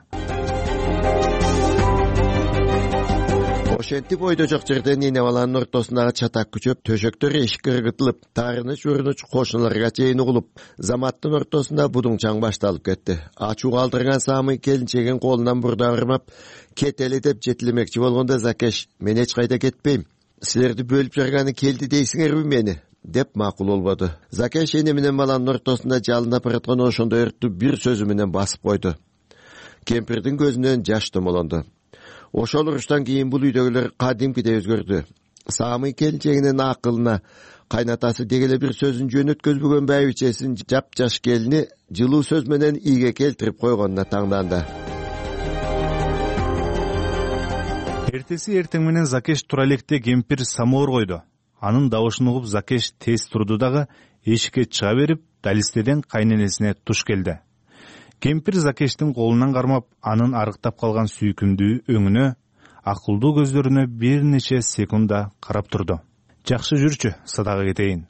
Ошентип ойдо жок жерден эне баланын ортосундагы чатак күчөп, төшөктөр эшикке ыргытылып, таарыныч урунуч кошуналарга чейин угулуп, заматтын ортосунда будуңчаң башталып кетти. Ачуу калтырган Саамый келинчегин колунан бурда ырмап, кетели деп жетилемекчи болгондо Закеш, мен эч кайда кетпейм. Силерди бөлүп жарганы келди дейсиңерби мени? деп макул болбоду. Закеш эне менен баланын ортосунда жалынап бараткан ошондой өрттү бир сөзү менен басып койду. кемпирдин көзүнөн жаш томолонду. Ошол уруштан кийин бул үйдөгүлөр кадимкидей өзгөрдү. Саамый келинчегинин акылына кайнатасы дегеле бир сөзүн жөнөткөзбөгөн байбичесин жапжаш келини жылуу сөз менен ийге келтирип койгонуна таңданды. Эртеси эртең менен Закеш тура электе кемпир самоор койду. Анын дабышын угуп Закеш тез турду дагы эшикке чыга берип, далистеден кайненесине туш келди. Кемпир Закештин колунан кармап, анын арыктап калган сүйкүмдүү өңүнө, акылдуу көздөрүнө бир нече секунда карап турду. Жакшы жүрчү, садага кетейин.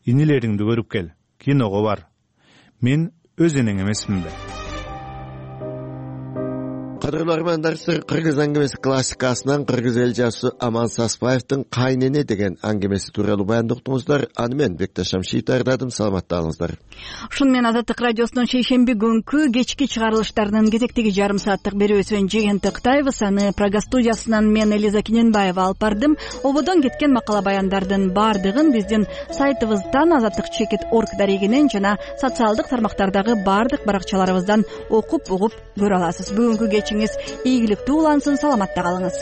Инилериңди көрүп кел, киного бар. Мен өз энең эмесминби? Кадырлуу армандар, кыргыз аңгемеси классикасынан кыргыз эл жазуусу Аман Саспаевдин Кайнене деген аңгемеси тууралуу баяндоктуңуздар. Аны мен Бекташ Шамшиев даярдадым. Саламатталыңыздар. Ушун менен Азаттык радиосунун шейшемби күнкү кечки чыгарылыштарынын кезектеги жарым сааттык берүүсүн жеген тыктайбыз. Аны Прага студиясынан мен Элиза Киненбаева алып бардым. Ободон кеткен макала баяндардын баардыгын биздин сайтыбыздан азаттык чекит точка орг дарегинен жана социалдык тармактардагы баардык баракчаларыбыздан окуп угуп көрө аласыз. Бүгүнкү кечиңиз ийгиликтүү улансын, саламатта калыңыз.